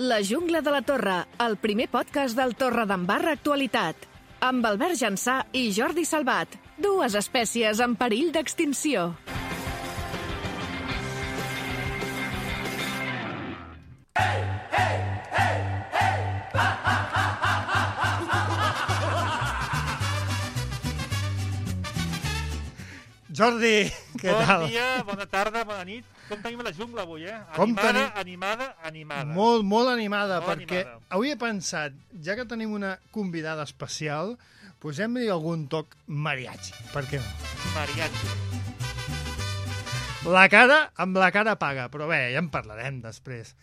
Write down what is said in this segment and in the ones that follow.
La jungla de la Torre, el primer podcast del Torredembarra Actualitat. Amb Albert Jansà i Jordi Salvat, dues espècies en perill d'extinció. Jordi, què tal? Bon dia, bona tarda, bona nit. Com tenim la jungla avui, Animada. Molt animada, Molt perquè animada. avui he pensat, ja que tenim una convidada especial, posem-li algun toc mariachi, per què no? Mariachi. Amb la cara paga, però bé, ja en parlarem després.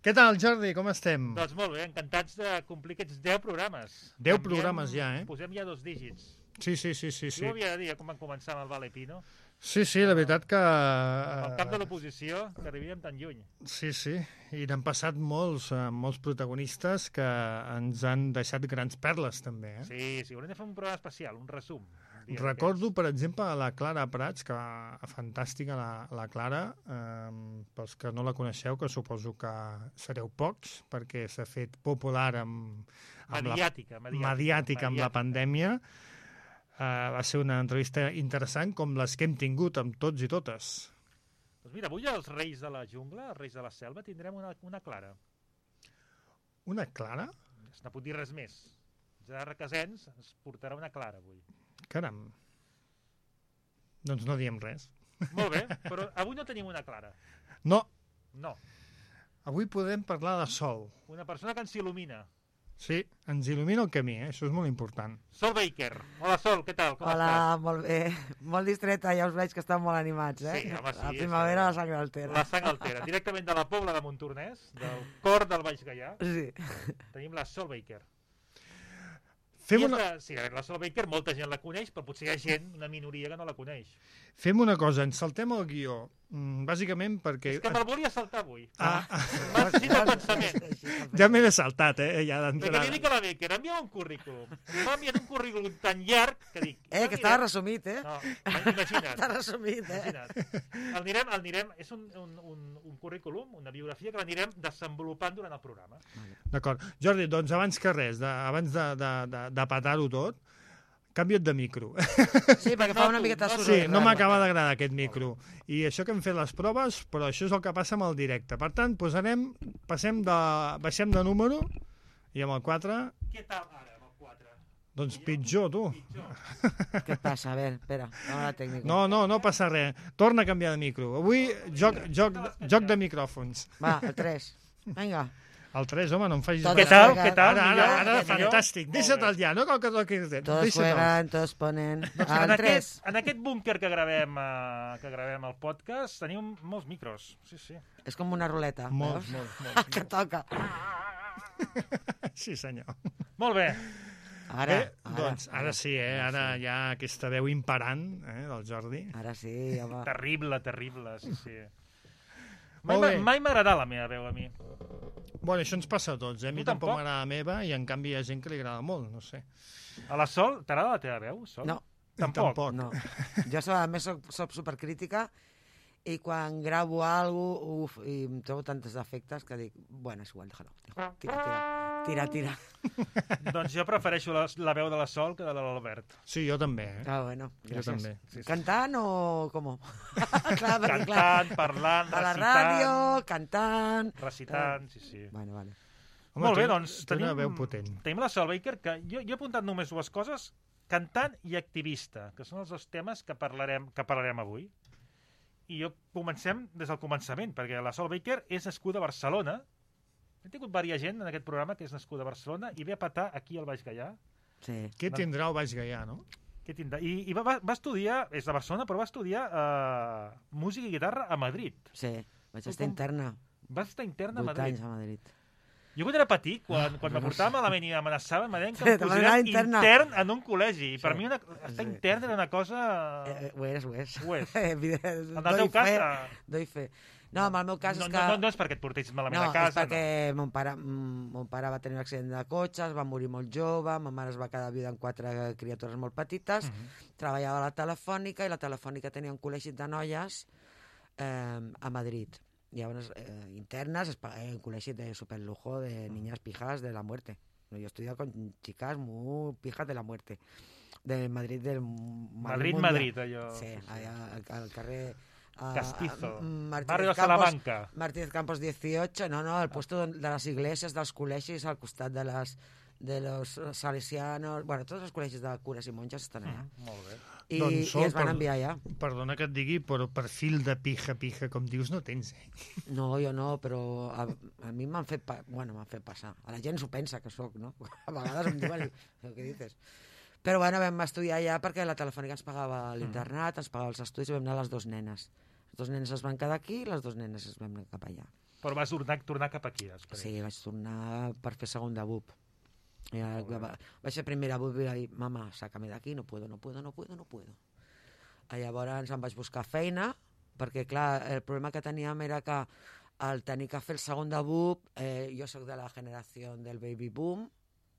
Què tal, Jordi, com estem? Doncs molt bé, encantats de complir aquests 10 programes. 10 programes ja, eh? Posem ja 2 dígits. Sí. Jo ho havia de dir, com vam començar amb el Vale Pino. Sí, la veritat que... Al cap de l'oposició, que arribíem tan lluny. Sí, i n'han passat molts protagonistes que ens han deixat grans perles, també, eh? Sí, haurem de fer un programa especial, un resum. Recordo, per exemple, la Clara Prats, que fantàstica la Clara, pels que no la coneixeu, que suposo que sereu pocs, perquè s'ha fet popular mediàtica amb la pandèmia. Va ser una entrevista interessant, com les que hem tingut amb tots i totes. Doncs mira, avui els reis de la jungla, els reis de la selva, tindrem una Clara. Una Clara? No puc dir res més. Gerard Requesens ens portarà una Clara avui. Caram. Doncs no diem res. Molt bé, però avui no tenim una Clara. No. Avui podem parlar de Sol. Una persona que ens il·lumina. Sí, ens il·lumina el camí, això és molt important. Sol Baker. Hola, Sol, què tal? Com Hola, estàs? molt bé. Molt distreta, ja us veig que estan molt animats, eh? Sí, home, sí. La primavera, la sang altera. La sang altera. Directament de la Pobla de Montornès, del cor del Baix Gaià, Sí. tenim la Sol Baker. Sí, la Sol Baker molta gent la coneix, però potser hi ha gent, una minoria que no la coneix. Fem una cosa, ens saltem el guió, bàsicament perquè... És que me'l volia saltar avui. M'ha sentit el pensament. Ja m'he de saltat, ja Perquè d'entrada. li dic a la Baker, envia'm un currículum. M'ha enviat un currículum tan llarg que dic... Que estava resumit, eh? No, imagina't. Està resumit, eh? Imagina't. El anirem, és un currículum, una biografia que l'anirem desenvolupant durant el programa. D'acord. Jordi, doncs abans que res, abans de petar-ho tot, canvia't de micro. Sí, perquè fa una miqueta de soroll. Sí, no m'acaba d'agradar aquest micro. I això que hem fet les proves, però això és el que passa amb el directe. Per tant, baixem de número i amb el 4... Què tal ara amb el 4? Doncs pitjor, tu. Què et passa? A veure, espera, anem a la tècnica. No passa res. Torna a canviar de micro. Avui, joc de micròfons. Va, el 3. Vinga. El 3, home, no em facis... Tot Què tal? Ara, Millor? fantàstic. Deixa't el ja, no cal que toquis res. Todos juegan, todos ponen... El 3. En aquest búnquer que gravem el podcast tenim molts micros. Sí. És com una ruleta. Molt. Que toca. Sí, senyor. Molt bé. Ara Sí, ara hi ha aquesta veu imperant del Jordi. Ara sí, home. Terrible, sí. Molt bé. Mai m'agrada la meva veu, a mi. Bueno, això ens passa a tots, A mi Tu tampoc tampoc? m'agrada la meva i en canvi hi ha gent que li agrada molt, no sé. A la Sol, t'agrada la teva veu, Sol? No. Tampoc. No. Jo a més soc supercrítica i quan gravo alguna cosa, i em trobo tantes defectes que dic, bueno, és igual, déjalo. Tira. Doncs jo prefereixo la veu de la Sol que de l'Albert. Sí, jo també, Bueno, Jo gràcies. també. Sí. Cantant o com? Clar, Cantant, parlant, a la recitant. ràdio, cantant... Recitant, sí. Vale. Home, Molt bé, té- doncs té una veu potent. tenim la Sol Baker, que jo he apuntat només dues coses, cantant i activista, que són els dos temes que parlarem avui. I comencem des del començament, perquè la Sol Baker és nascuda a Barcelona. Hem tingut diversa gent en aquest programa que és nascuda a Barcelona i ve a petar aquí al Baix Gaià. Sí. Què tindrà el Baix Gaià, no? Què tindrà? I va estudiar, és de Barcelona, però va estudiar música i guitarra a Madrid. Sí, vaig estar interna. Va estar interna a 8 Madrid. anys a Madrid. Jo quan era petit, quan me portava malament i m'amenaçaven, me deien que Sí, em te posarien interna. intern en un col·legi. I per Sí. mi estar Sí. intern era una cosa... Ho és. Ho és. En En el teu cas... Doy fe. No, en el meu cas No, és que... no és perquè et portessis malament No, a casa. és perquè mon pare va tenir un accident de cotxe, es va morir molt jove, ma mare es va quedar viuda amb 4 criatures molt petites, treballava a la Telefònica i la Telefònica tenia un col·legi de noies a Madrid. Y llavors, internas, en col·legi de superlujo de niñas pijas de la muerte. Yo he estudiado con chicas muy pijas de la muerte. De Madrid, del Madrid, allò... Sí, allà al carrer... Castizo, Martínez barrio de Campos, Salamanca. Martínez Campos 18, no, el puesto de les iglesias, dels col·legis, al costat de los salesianos... Bueno, tots els col·legis de cures i monges estan allà. Molt bé. I, Doncs, i es van enviar allà. Perdona que et digui, però perfil de pija, com dius, no tens, No, jo no, però a mi m'han fet passar. A la gent s'ho pensa que sóc, no? A vegades em diuen, què dices? Però bueno, vam estudiar allà perquè la Telefònica ens pagava l'internat, ens pagava els estudis i vam anar les dues nenes. Les dues nenes es van quedar aquí i les dues nenes es van anar cap allà. Però vas tornar cap aquí, després. Sí, vaig tornar per fer segon de BUP. Vaig fer primera BUP i vaig dir, mama, sácame de aquí, no puedo. Llavors em vaig buscar feina, perquè clar, el problema que teníem era que al tenir que fer el segon de BUP, jo sóc de la generació del baby boom,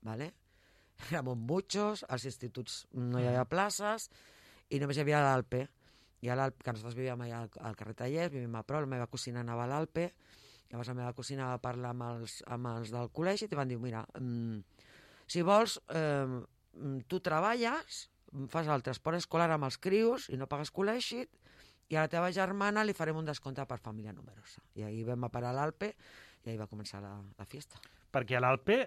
¿vale? Éramos muchos, als instituts no hi havia places i només hi havia l'Alpe. I a l'Alpe, que nosaltres vivíem allà al carrer Tallers, vivim a prop, la meva cosina anava a l'Alpe, llavors la meva cosina va parlar amb els del col·legi i van dir, mira, si vols, tu treballes, fas el transport escolar amb els crios i no pagues col·legi, i a la teva germana li farem un descompte per família numerosa. I ahir vam a parar a l'Alpe i ahir va començar la fiesta. Perquè a l'Alpe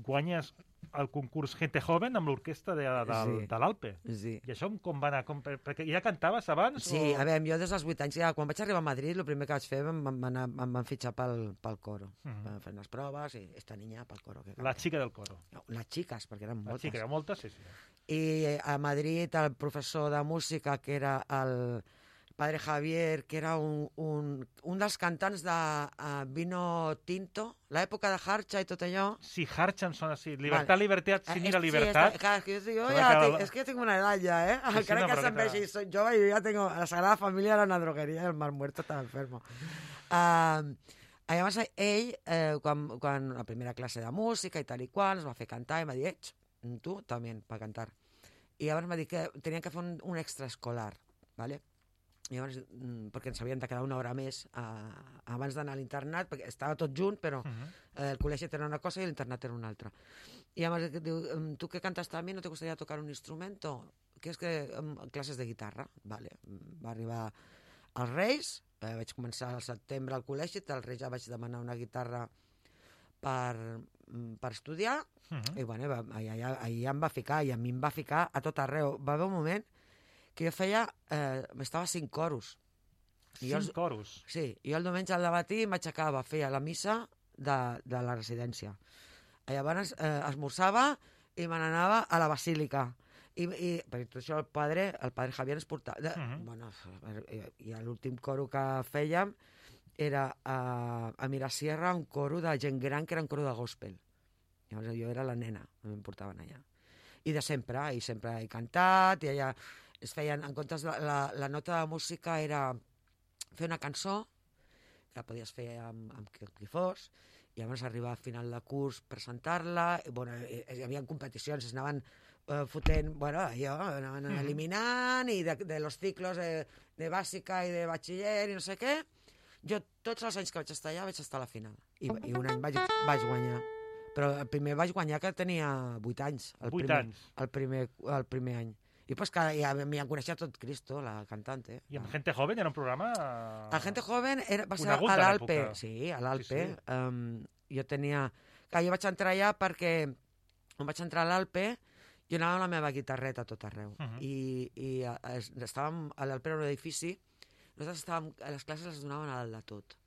guanyes el concurs Gente Joven amb l'orquestra de l'Alpe. Sí. I això com va anar? Perquè ja cantaves abans? Sí, a veure, jo des dels 8 anys, quan vaig arribar a Madrid, el primer que vaig fer em van fitxar pel coro. Vam fer unes proves i esta niña pel coro. La xica del coro. No, les xiques, perquè eren moltes. La xica, moltes, sí. I a Madrid el professor de música, que era el padre Javier, que era un dels cantants de Vino Tinto, l'època de Harcha i tot allò. Sí, Harcha em sona així. Libertat, libertat, sin ir a Sí, libertat. és que jo tinc una edat ja, ¿eh? Sí, Encara que se'n vegi, soy jove i ja tengo... La Sagrada Familia era una drogueria i el Mar Muerto estava enfermo. Llavors ell, quan la primera classe de música i tal i qual, ens va fer cantar i m'ha dit, tu també per cantar. I llavors m'ha dit que tenien que fer un extraescolar, ¿vale? Llavors, perquè ens havien de quedar una hora més abans d'anar a l'internat, perquè estava tot junt, però el col·legi era una cosa i l'internat era una altra. I llavors diu, tu que cantas también, ¿no te gustaría tocar un instrumento? Que és que classes de guitarra, vale. Va arribar als Reis, vaig començar al setembre al col·legi, als Reis ja vaig demanar una guitarra per estudiar, i bueno, allà em va ficar, i a mi em va ficar a tot arreu. Va haver un moment que jo estava 5 coros. 5 coros? Sí, jo el diumenge al matí m'aixecava, feia la missa de la residència. Llavors esmorzava i me n'anava a la basílica. I per tot això el padre Javier ens portava... Bueno, i l'últim coro que fèiem era a Mirasierra un coro de gent gran que era un coro de gospel. Llavors jo era la nena, em portaven allà. I de sempre, he cantat, i allà es feien, en comptes de la nota de música era fer una cançó, que la podies fer amb qui fos, i llavors arribar al final de curs, presentar-la, bueno, hi havia competicions, es anaven fotent, bueno, allò, anaven eliminant, i de los ciclos de bàsica i de batxiller i no sé què. Jo, tots els anys que vaig estar allà, vaig estar a la final. I un any vaig guanyar. Però el primer vaig guanyar que tenia 8 anys. 8 anys? El primer any. I pues que ja m'hi coneixia tot Cristo, la cantante. I amb Gente Joven era un programa... El Gente Joven va ser conegut a de l'Alpe. l'època. Sí, a l'Alpe. Sí. Jo tenia... Clar, jo vaig entrar allà perquè quan vaig entrar a l'Alpe jo anava amb la meva guitarreta a tot arreu. I estàvem a l'Alpe, era un edifici, nosaltres estàvem... Les classes les donaven a dalt de tot.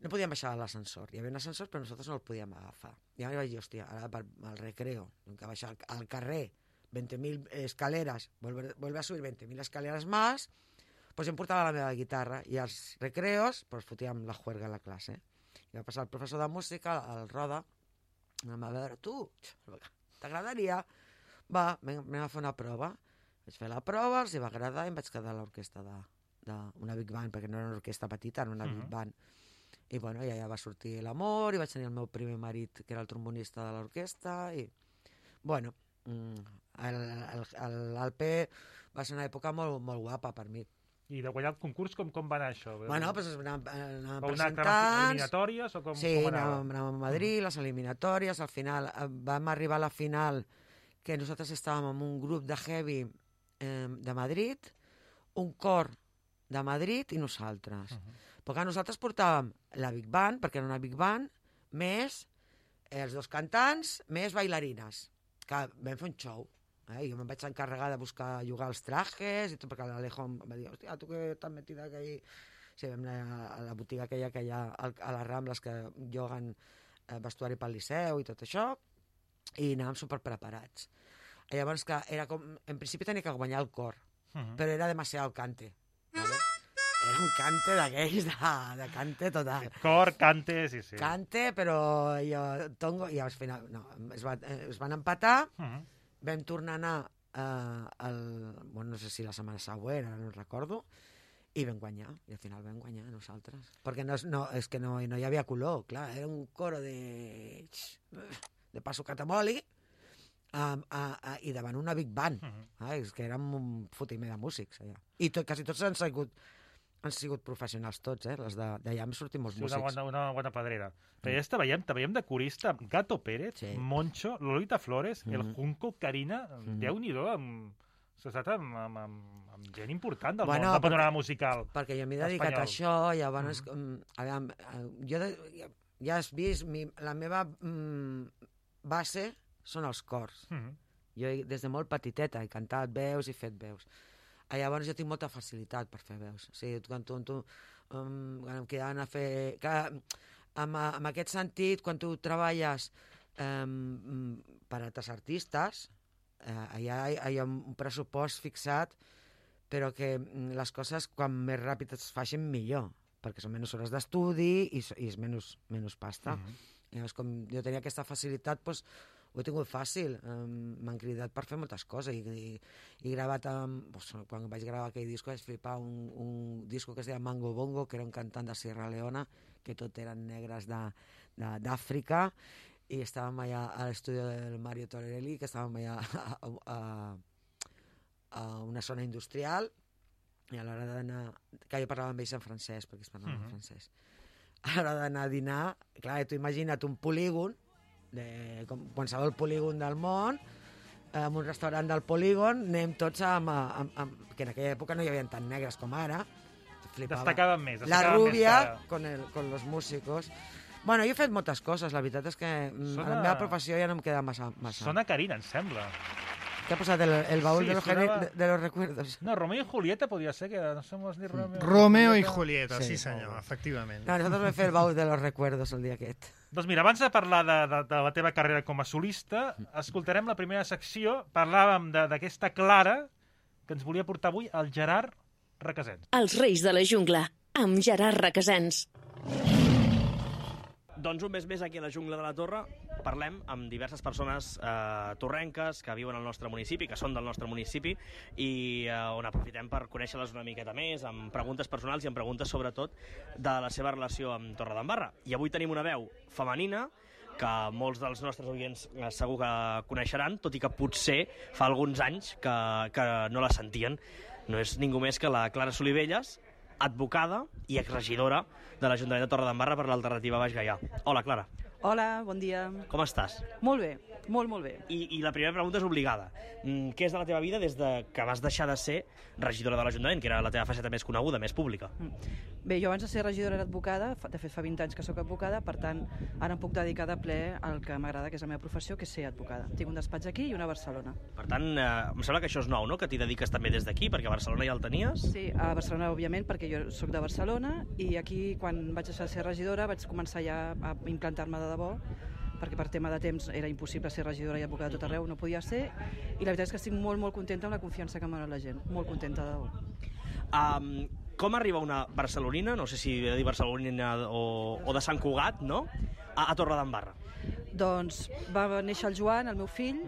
No podíem baixar a l'ascensor. Hi havia un ascensor, però nosaltres no el podíem agafar. I ara vaig dir, hòstia, ara al recreo, que baixar al carrer, 20.000 escaleras, vuelve a subir 20.000 escaleras más, pues em portava la meva guitarra i als recreos pues fotíem la juerga a la classe. I va passar el professor de música, el Roda, em va veure, tu, t'agradaria? Va, anem a fer una prova. Vaig fer la prova, els va agradar i em vaig quedar a l'orquestra d'una big band, perquè no era una orquestra petita, era una big band. I bueno, ja va sortir l'amor, i vaig tenir el meu primer marit, que era el trombonista de l'orquestra, i bueno, l'Alpe va ser una època molt, molt guapa per mi. I de guanyar el concurs, com va anar això? Bueno, doncs anàvem Va anar presentats... eliminatòries o com anàvem a Madrid, les eliminatòries, al final vam arribar a la final, que nosaltres estàvem en un grup de heavy de Madrid, un cor de Madrid i nosaltres. Perquè nosaltres portàvem la Big Band, perquè era una Big Band, més els 2 cantants, més bailarines, que vam fer un show. Jo me'n vaig encarregar de llogar els trajes, i tot, perquè l'Alejo em va dir, hòstia, tu que t'has metida aquí... Sí, vam anar a la botiga aquella que hi ha a les Rambles, que lloguen vestuari pel Liceu i tot això, i anàvem superpreparats. Llavors, que era com... En principi tenia que guanyar el cor, però era demasiado cante. ¿Vale? Era un cante d'aquells, de cante total. Cor, cante, sí. Cante, però jo tongo, i al final no, es van empatar, vam tornar a anar no sé si la setmana següent, ara no recordo, i vam guanyar, i al final vam guanyar nosaltres. Perquè és que no hi havia color, clar, era un coro de Paso Catamoli, i davant una Big Band. És que érem un fotimer de músics allà. I quasi tots han sigut professionals tots, les d'allà han sortit molts músics. Una bona pedrera. Però ja te veiem de corista amb Gato Pérez, Moncho, Lolita Flores, el Junco, Karina, Déu-n'hi-do, s'ha estat amb gent important del món, del panorama musical. Perquè jo m'he dedicat a això, llavors, jo ja has vist, la meva base són els cors. Jo des de molt petiteta he cantat veus i fet veus. Llavors jo tinc molta facilitat per fer veus. O sigui, quan em quedaven a fer... En aquest sentit, quan tu treballes per a altres artistes, hi ha un pressupost fixat, però que les coses, quan més ràpid es facin, millor, perquè són menys hores d'estudi i és menys pasta. Llavors, com jo tenia aquesta facilitat, doncs, ho he tingut fàcil. M'han cridat per fer moltes coses i he gravat quan vaig gravar aquell disco vaig flipar un disco que es deia Mango Bongo, que era un cantant de Sierra Leona, que tot eren negres d'Àfrica, i estàvem allà a l'estudi del Mario Torelli, que estàvem allà a una zona industrial, i a l'hora d'anar, que jo parlava amb ells en francès, perquè es parlava en francès, a l'hora d'anar a dinar, clar, tu imagina't un polígon, com qualsevol polígon del món, en un restaurant del polígon, anem tots que en aquella època no hi havia tant negres com ara, destacaven més. La rubia con los músicos. Bueno, jo he fet moltes coses, la veritat és que a la meva professió ja no em queda massa. Sona Karina, em sembla. ¿Qué ha pasado? ¿El baúl de los recuerdos? No, Romeo y Julieta podría ser, que no somos ni Romeo y Julieta, sí senyor, efectivament. No, nosaltres vam fer el baúl de los recuerdos el dia aquest. Doncs mira, abans de parlar de la teva carrera com a solista, escoltarem la primera secció. Parlàvem d'aquesta Clara, que ens volia portar avui el Gerard Requesens. Els Reis de la Jungla, amb Gerard Requesens. Doncs un mes més aquí a la Jungla de la Torre parlem amb diverses persones torrenques que viuen al nostre municipi, que són del nostre municipi, i on aprofitem per conèixer-les una miqueta més, amb preguntes personals i amb preguntes sobretot de la seva relació amb Torredembarra. I avui tenim una veu femenina que molts dels nostres oients segur que coneixeran, tot i que potser fa alguns anys que no la sentien. No és ningú més que la Clara Solivelles, advocada i exregidora de l'Ajuntament de Torredembarra per l'Alternativa Baix Gaià. Hola, Clara. Hola, bon dia. Com estàs? Molt bé, molt bé. I la primera pregunta és obligada. Què és de la teva vida des que vas deixar de ser regidora de l'Ajuntament, que era la teva faceta més coneguda, més pública? Bé, jo abans de ser regidora era advocada, de fet fa 20 anys que sóc advocada, per tant, ara em puc dedicar de ple al que m'agrada, que és la meva professió, que és ser advocada. Tinc un despatx aquí i una a Barcelona. Per tant, em sembla que això és nou, no?, que t'hi dediques també des d'aquí, perquè a Barcelona ja el tenies? Sí, a Barcelona, òbviament, perquè jo sóc de Barcelona, i aquí, quan vaig deixar de ser regidora, vaig començar ja a implantar-me de debò, perquè per tema de temps era impossible ser regidora i advocada a tot arreu, no podia ser, i la veritat és que estic molt contenta amb la confiança que m'ha donat la gent, molt contenta de debò. Com arriba una barcelonina, no sé si he de dir barcelonina o de Sant Cugat, no?, a Torredembarra? Doncs va néixer el Joan, el meu fill,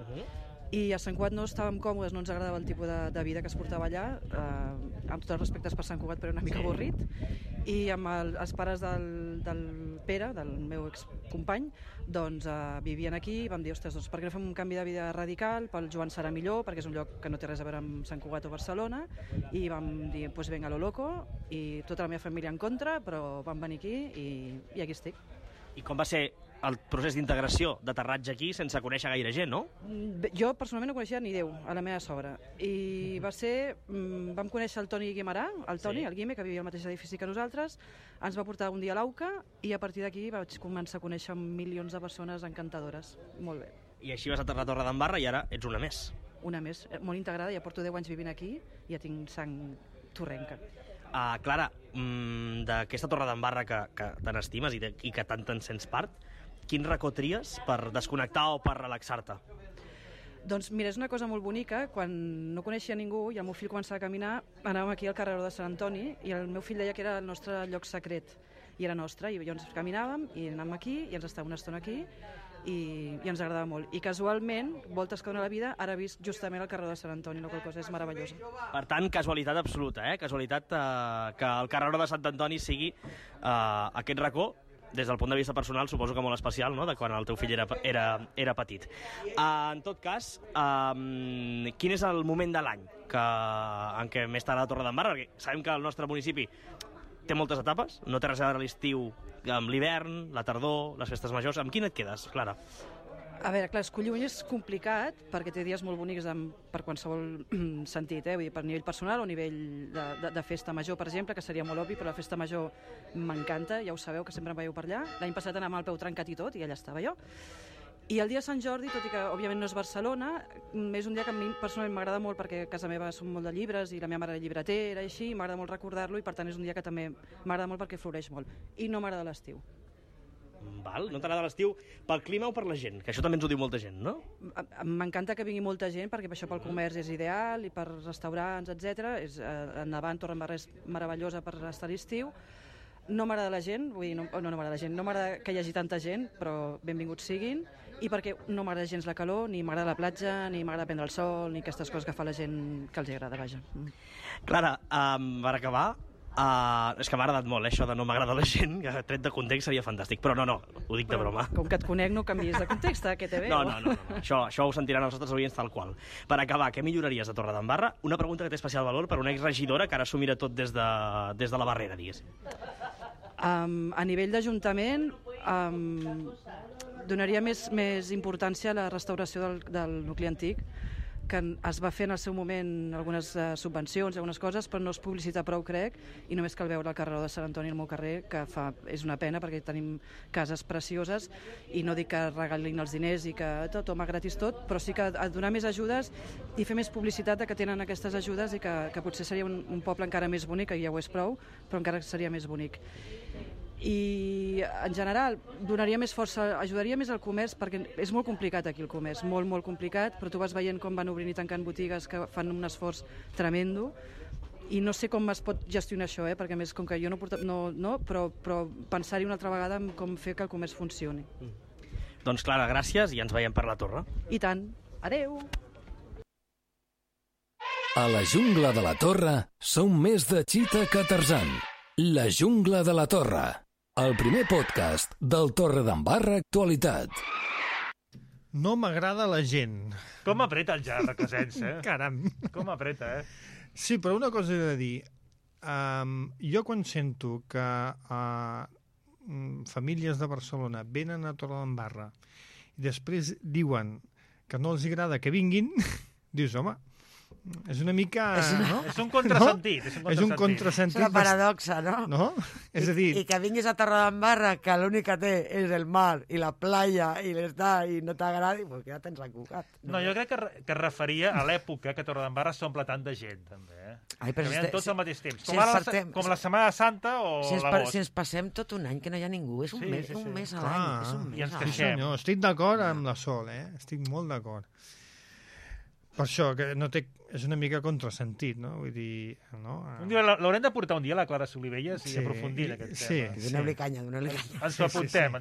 I a Sant Cugat no estàvem còmodes, no ens agradava el tipus de vida que es portava allà, amb tots els respectes per Sant Cugat, però era una mica avorrit. I amb els pares del Pere, del meu excompany, doncs vivien aquí i vam dir, ostres, doncs per què no fem un canvi de vida radical, pel Joan serà millor, perquè és un lloc que no té res a veure amb Sant Cugat o Barcelona, i vam dir, pues venga lo loco, i tota la meva família en contra, però vam venir aquí i aquí estic. I com va ser el procés d'integració, d'aterratge aquí, sense conèixer gaire gent, no? Jo personalment no coneixia ni Déu, a la meva sogra. I va ser... Vam conèixer el Toni Guimarà, el Toni, el Guime, que vivia al mateix edifici que nosaltres, ens va portar un dia a l'AUCA i a partir d'aquí vaig començar a conèixer milions de persones encantadores. Molt bé. I així vas aterrar a Torredembarra i ara ets una més. Una més, molt integrada, ja porto 10 anys vivint aquí i ja tinc sang torrenca. Clara, d'aquesta Torredembarra que tant estimes i que tant te'n sents part, quin racó tries per desconnectar o per relaxar-te? Doncs mira, és una cosa molt bonica. Quan no coneixia ningú i el meu fill començava a caminar, anàvem aquí al carreró de Sant Antoni i el meu fill deia que era el nostre lloc secret i era nostre, i llavors caminàvem i anàvem aquí i ens estàvem una estona aquí i ens agradava molt. I casualment, voltes que dona la vida, ara he vist justament el carreró de Sant Antoni, la qual cosa és meravellosa. Per tant, casualitat absoluta, Casualitat que el carreró de Sant Antoni sigui aquest racó, des del punt de vista personal, suposo que molt especial, no?, de quan el teu fill era petit. En tot cas, quin és el moment de l'any en què més t'agrada Torredembarra? Perquè sabem que el nostre municipi té moltes etapes, no té res a veure l'estiu amb l'hivern, la tardor, les festes majors. Amb quin et quedes, Clara? A veure, clar, escollir un és complicat perquè té dies molt bonics per qualsevol sentit, vull dir, per nivell personal o nivell de festa major, per exemple, que seria molt obvi, però la festa major m'encanta, ja ho sabeu, que sempre em veieu per allà. L'any passat anàvem al peu trencat i tot, i allà estava jo. I el dia de Sant Jordi, tot i que òbviament no és Barcelona, és un dia que a mi personalment m'agrada molt perquè a casa meva són molt de llibres i la meva mare era llibretera i així, i m'agrada molt recordar-lo i per tant és un dia que també m'agrada molt perquè floreix molt. I no m'agrada l'estiu. Val, no t'agrada l'estiu pel clima o per la gent? Que això també ens ho diu molta gent, no? M'encanta que vingui molta gent perquè per això pel comerç és ideal i per restaurants, etc. Endavant, Torredembarra és meravellosa per estar a l'estiu. No m'agrada la gent, vull dir, no m'agrada la gent, no m'agrada que hi hagi tanta gent, però benvinguts siguin, i perquè no m'agrada gens la calor, ni m'agrada la platja, ni m'agrada prendre el sol, ni aquestes coses que fa la gent que els agrada, vaja. Clara, per acabar, és que m'ha agradat molt, això de no m'agrada la gent, que tret de context seria fantàstic, però no, ho dic de broma. Com que et conec no canvies de context, que te veu. No, això ho sentiran els nostres oients tal qual. Per acabar, què milloraries a Torredembarra? Una pregunta que té especial valor per una exregidora que ara s'ho mira tot des de la barrera, diguéssim. A nivell d'Ajuntament, donaria més importància a la restauració del nucli antic, que es va fer en el seu moment algunes subvencions, algunes coses, però no es publicita prou, crec, i només cal veure el carreró de Sant Antoni al meu carrer, que és una pena perquè tenim cases precioses i no dic que regalin els diners i que tot, home, gratis tot, però sí que donar més ajudes i fer més publicitat de que tenen aquestes ajudes i que potser seria un poble encara més bonic, que ja ho és prou, però encara seria més bonic. I en general donaria més força, ajudaria més al comerç perquè és molt complicat aquí el comerç, molt, molt complicat, però tu vas veient com van obrint i tancant botigues que fan un esforç tremendo i no sé com es pot gestionar això, perquè a més com que jo però pensar-hi una altra vegada en com fer que el comerç funcioni. Doncs Clara, gràcies i ens veiem per la torre. I tant. Adeu! A la jungla de la Torre som més de Cheetah que Tarzan. La jungla de la Torre. El primer podcast del Torredembarra Actualitat. No m'agrada la gent. Com apreta el Gerard Recasens, Caram. Com apreta, Sí, però una cosa he de dir. Jo quan sento que famílies de Barcelona venen a Torredembarra i després diuen que no els agrada que vinguin, dius, home, és una mica... És un contrasentit. És un contrasentit. És una paradoxa, no? No? És a dir... I que vinguis a Torredembarra, que l'únic que té és el mar i la playa i i no t'agradi, doncs ja tens encucat. No, jo crec que es referia a l'època que Torredembarra s'omple tant de gent, també. Ai, però que venen tots al mateix temps. Com la si Setmana Santa o l'agost. Si ens passem tot un any que no hi ha ningú, és un mes a l'any. És un mes I ens a l'any. queixem. Senyor, estic d'acord amb la Sol, estic molt d'acord. Per això, que no té... És una mica contrasentit, no? Vull dir... No? L'haurem de portar un dia a la Clara Solivelles i aprofundir en aquest tema. Donem-li canya. Ens ho apuntem.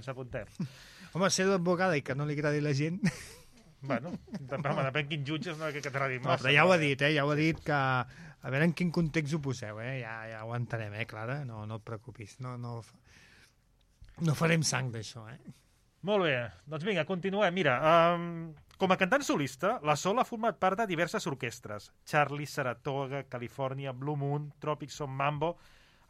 Home, ser d'advocada i que no li agradi la gent... Bueno, depèn quin jutges, no, que t'agradi No, massa. però ja ho ha dit, ja ho ha dit que... A veure en quin context ho poseu, ja ho entenem, Clara? No et preocupis, no farem sang d'això, Molt bé, doncs vinga, continuem. Mira, com a cantant solista, la Sol ha format part de diverses orquestres. Charlie, Saratoga, Califòrnia, Blue Moon, Tropic Son Mambo,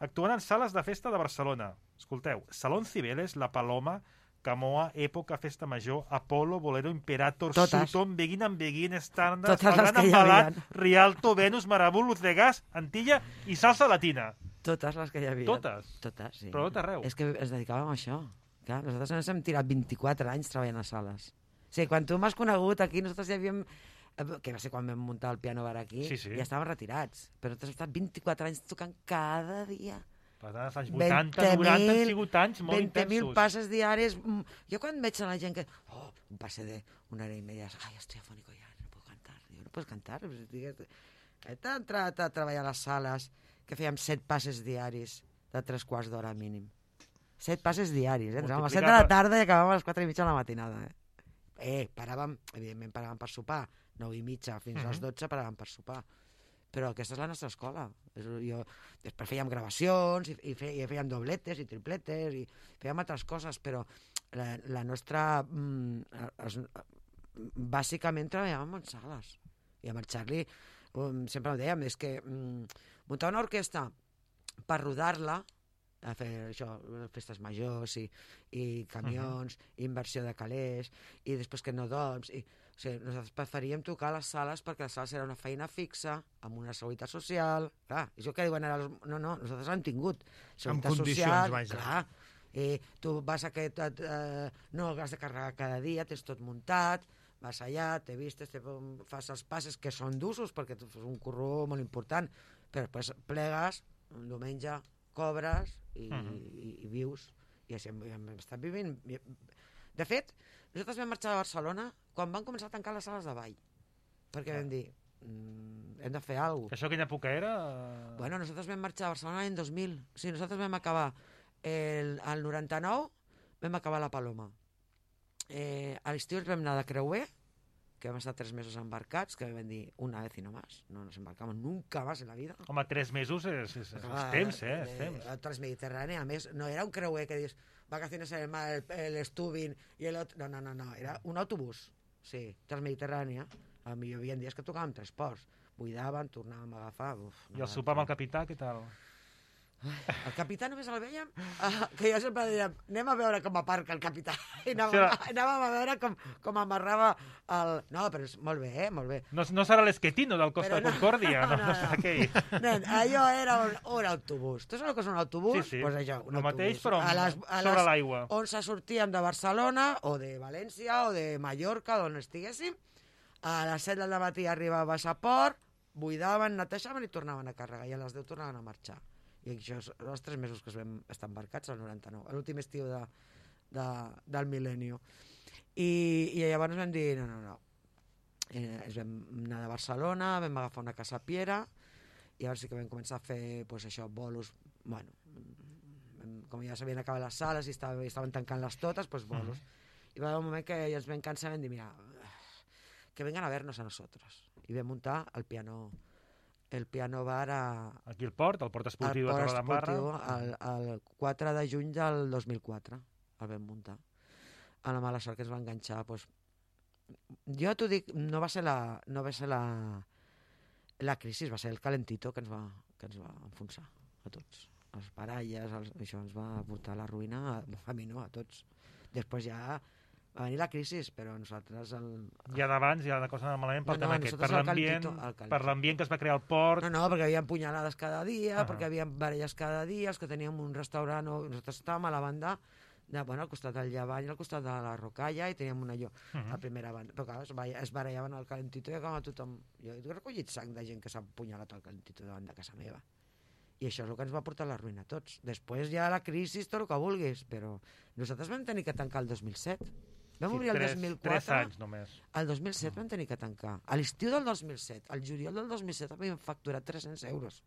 actuant en sales de festa de Barcelona. Escolteu, Salón Cibeles, La Paloma, Camoa, Època, Festa Major, Apolo, Bolero, Imperator, Sutton, Begin and Begin, Standard, Totes les que hi Embalat, havia. Rialto, Venus, Marabú, Luz de Gas, Antilla i Salsa Latina. Totes les que hi havia. Totes? Totes, sí. Però tot arreu. És que ens dedicàvem a això. Clar, nosaltres ens hem tirat 24 anys treballant a sales. O sigui, quan tu m'has conegut aquí, nosaltres ja havíem... Que va ser quan vam muntar el piano bar aquí, Sí. ja estàvem retirats. Però nosaltres hem estat 24 anys tocant cada dia. Per tant, els anys 80, 90 han sigut anys molt 20.000 intensos. passes diaris. Jo quan veig a la gent que... un pase de una hora y media. Ay, estoy afónico ya, no puedo cantar. Digo, no puedes cantar. He entrat a treballar a les sales que fèiem 7 passes diaris de 3/4 d'hora mínim. 7 passes diaris, Entràvem a les 7 de la tarda i acabàvem a les 4:30 de la matinada, Paràvem, evidentment paràvem per sopar, 9:30 fins a les 12 paràvem per sopar. Però aquesta és la nostra escola. Després fèiem gravacions i fèiem dobletes i tripletes i fèiem altres coses, però la nostra... bàsicament treballàvem en sales. I amb el Charlie sempre ho dèiem, és que muntar una orquestra per rodar-la, a fer això, festes majors i camions, inversió de calés, i després que no dorms... O sigui, nosaltres preferíem tocar a les sales perquè les sales era una feina fixa, amb una seguretat social... Clar, això que diuen ara... No, nosaltres l'hem tingut. Amb condicions, vaja. Clar, tu vas a no has de carregar cada dia, tens tot muntat, vas allà, te vistes, fas els passes que són d'usos perquè tu fas un curro molt important, però després plegues, un diumenge cobres i vius, i així hem estat vivint. De fet, nosaltres vam marxar de Barcelona quan van començar a tancar les sales de ball, perquè vam dir, hem de fer alguna cosa. Això quina època era? Bueno, nosaltres vam marxar a Barcelona l'any 2000. Sí, nosaltres vam acabar el 99, vam acabar la Paloma. A l'estiu ens vam anar de creuer, que vam estar 3 mesos embarcats, que vam dir una vez y no más. No nos embarcamos nunca más en la vida. Home, 3 mesos és temps, és temps. El Transmediterrani, a més, no era un creuer que dius vacaciones en el mar, el Stubin i el otro. No, era un autobús. Sí, Transmediterrània. Hi havia dies que tocàvem 3 ports. Buidaven, tornàvem a agafar... I el sopar amb el capità, què tal? El capità només el veiem, que jo sempre diria, anem a veure com aparca el capità. I anàvem a veure com amarrava el... No, però és molt bé, molt bé. No serà l'Esquetino del Costa de Concòrdia, no? Nen, allò era un autobús. Tu saps el que és un autobús? Sí. Pues això, un el mateix, autobús. però sobre l'aigua. On sortíem de Barcelona, o de València, o de Mallorca, d'on estiguéssim, a les 7 del matí arribaves a port, buidaven, netejaven i tornaven a carregar, i a les 10 tornaven a marxar. I això són els 3 mesos que es vam estar embarcats, al 99, l'últim estiu del mil·lenni. I llavors vam dir, no. Ens vam anar de Barcelona, vam agafar una casa a Piera, i llavors sí que vam començar a fer pues, això, bolos, bueno, com ja s'havien acabat les sales i estaven tancant-les totes, pues, bolos. I va haver un moment que ja ens vam cansar i vam dir, mira, que vengan a vernos a nosotros. I vam muntar el piano bar aquí al port esportiu de Torredembarra. El 4 de juny del 2004 el vam muntar. A la mala sort que ens va enganxar, doncs, jo t'ho dic, no va ser la crisi, va ser el calentito que ens va enfonsar a tots. Els baralles, això ens va portar a la ruïna, a mi no, a tots. Després ja va venir la crisi, però nosaltres... Ja d'abans, ja de coses malament pel tema aquest, per l'ambient que es va crear al port... No, perquè hi havia punyalades cada dia, perquè hi havia baralles cada dia, els que teníem un restaurant... Nosaltres estàvem a la banda, al costat del Llevant i al costat de la Rocalla, i teníem un allò, a primera banda. Però clar, es barallaven al calentito i acabava tothom... Jo he recollit sang de gent que s'ha punyalat al calentito davant de casa meva. I això és el que ens va portar a la ruïna a tots. Després ja la crisi, tot el que vulguis, però nosaltres vam tenir que tancar el 2007. Vam obrir el 2004. 3 anys només. El 2007 vam tenir que tancar. A l'estiu del 2007, al juliol del 2007 havíem facturat 300 euros.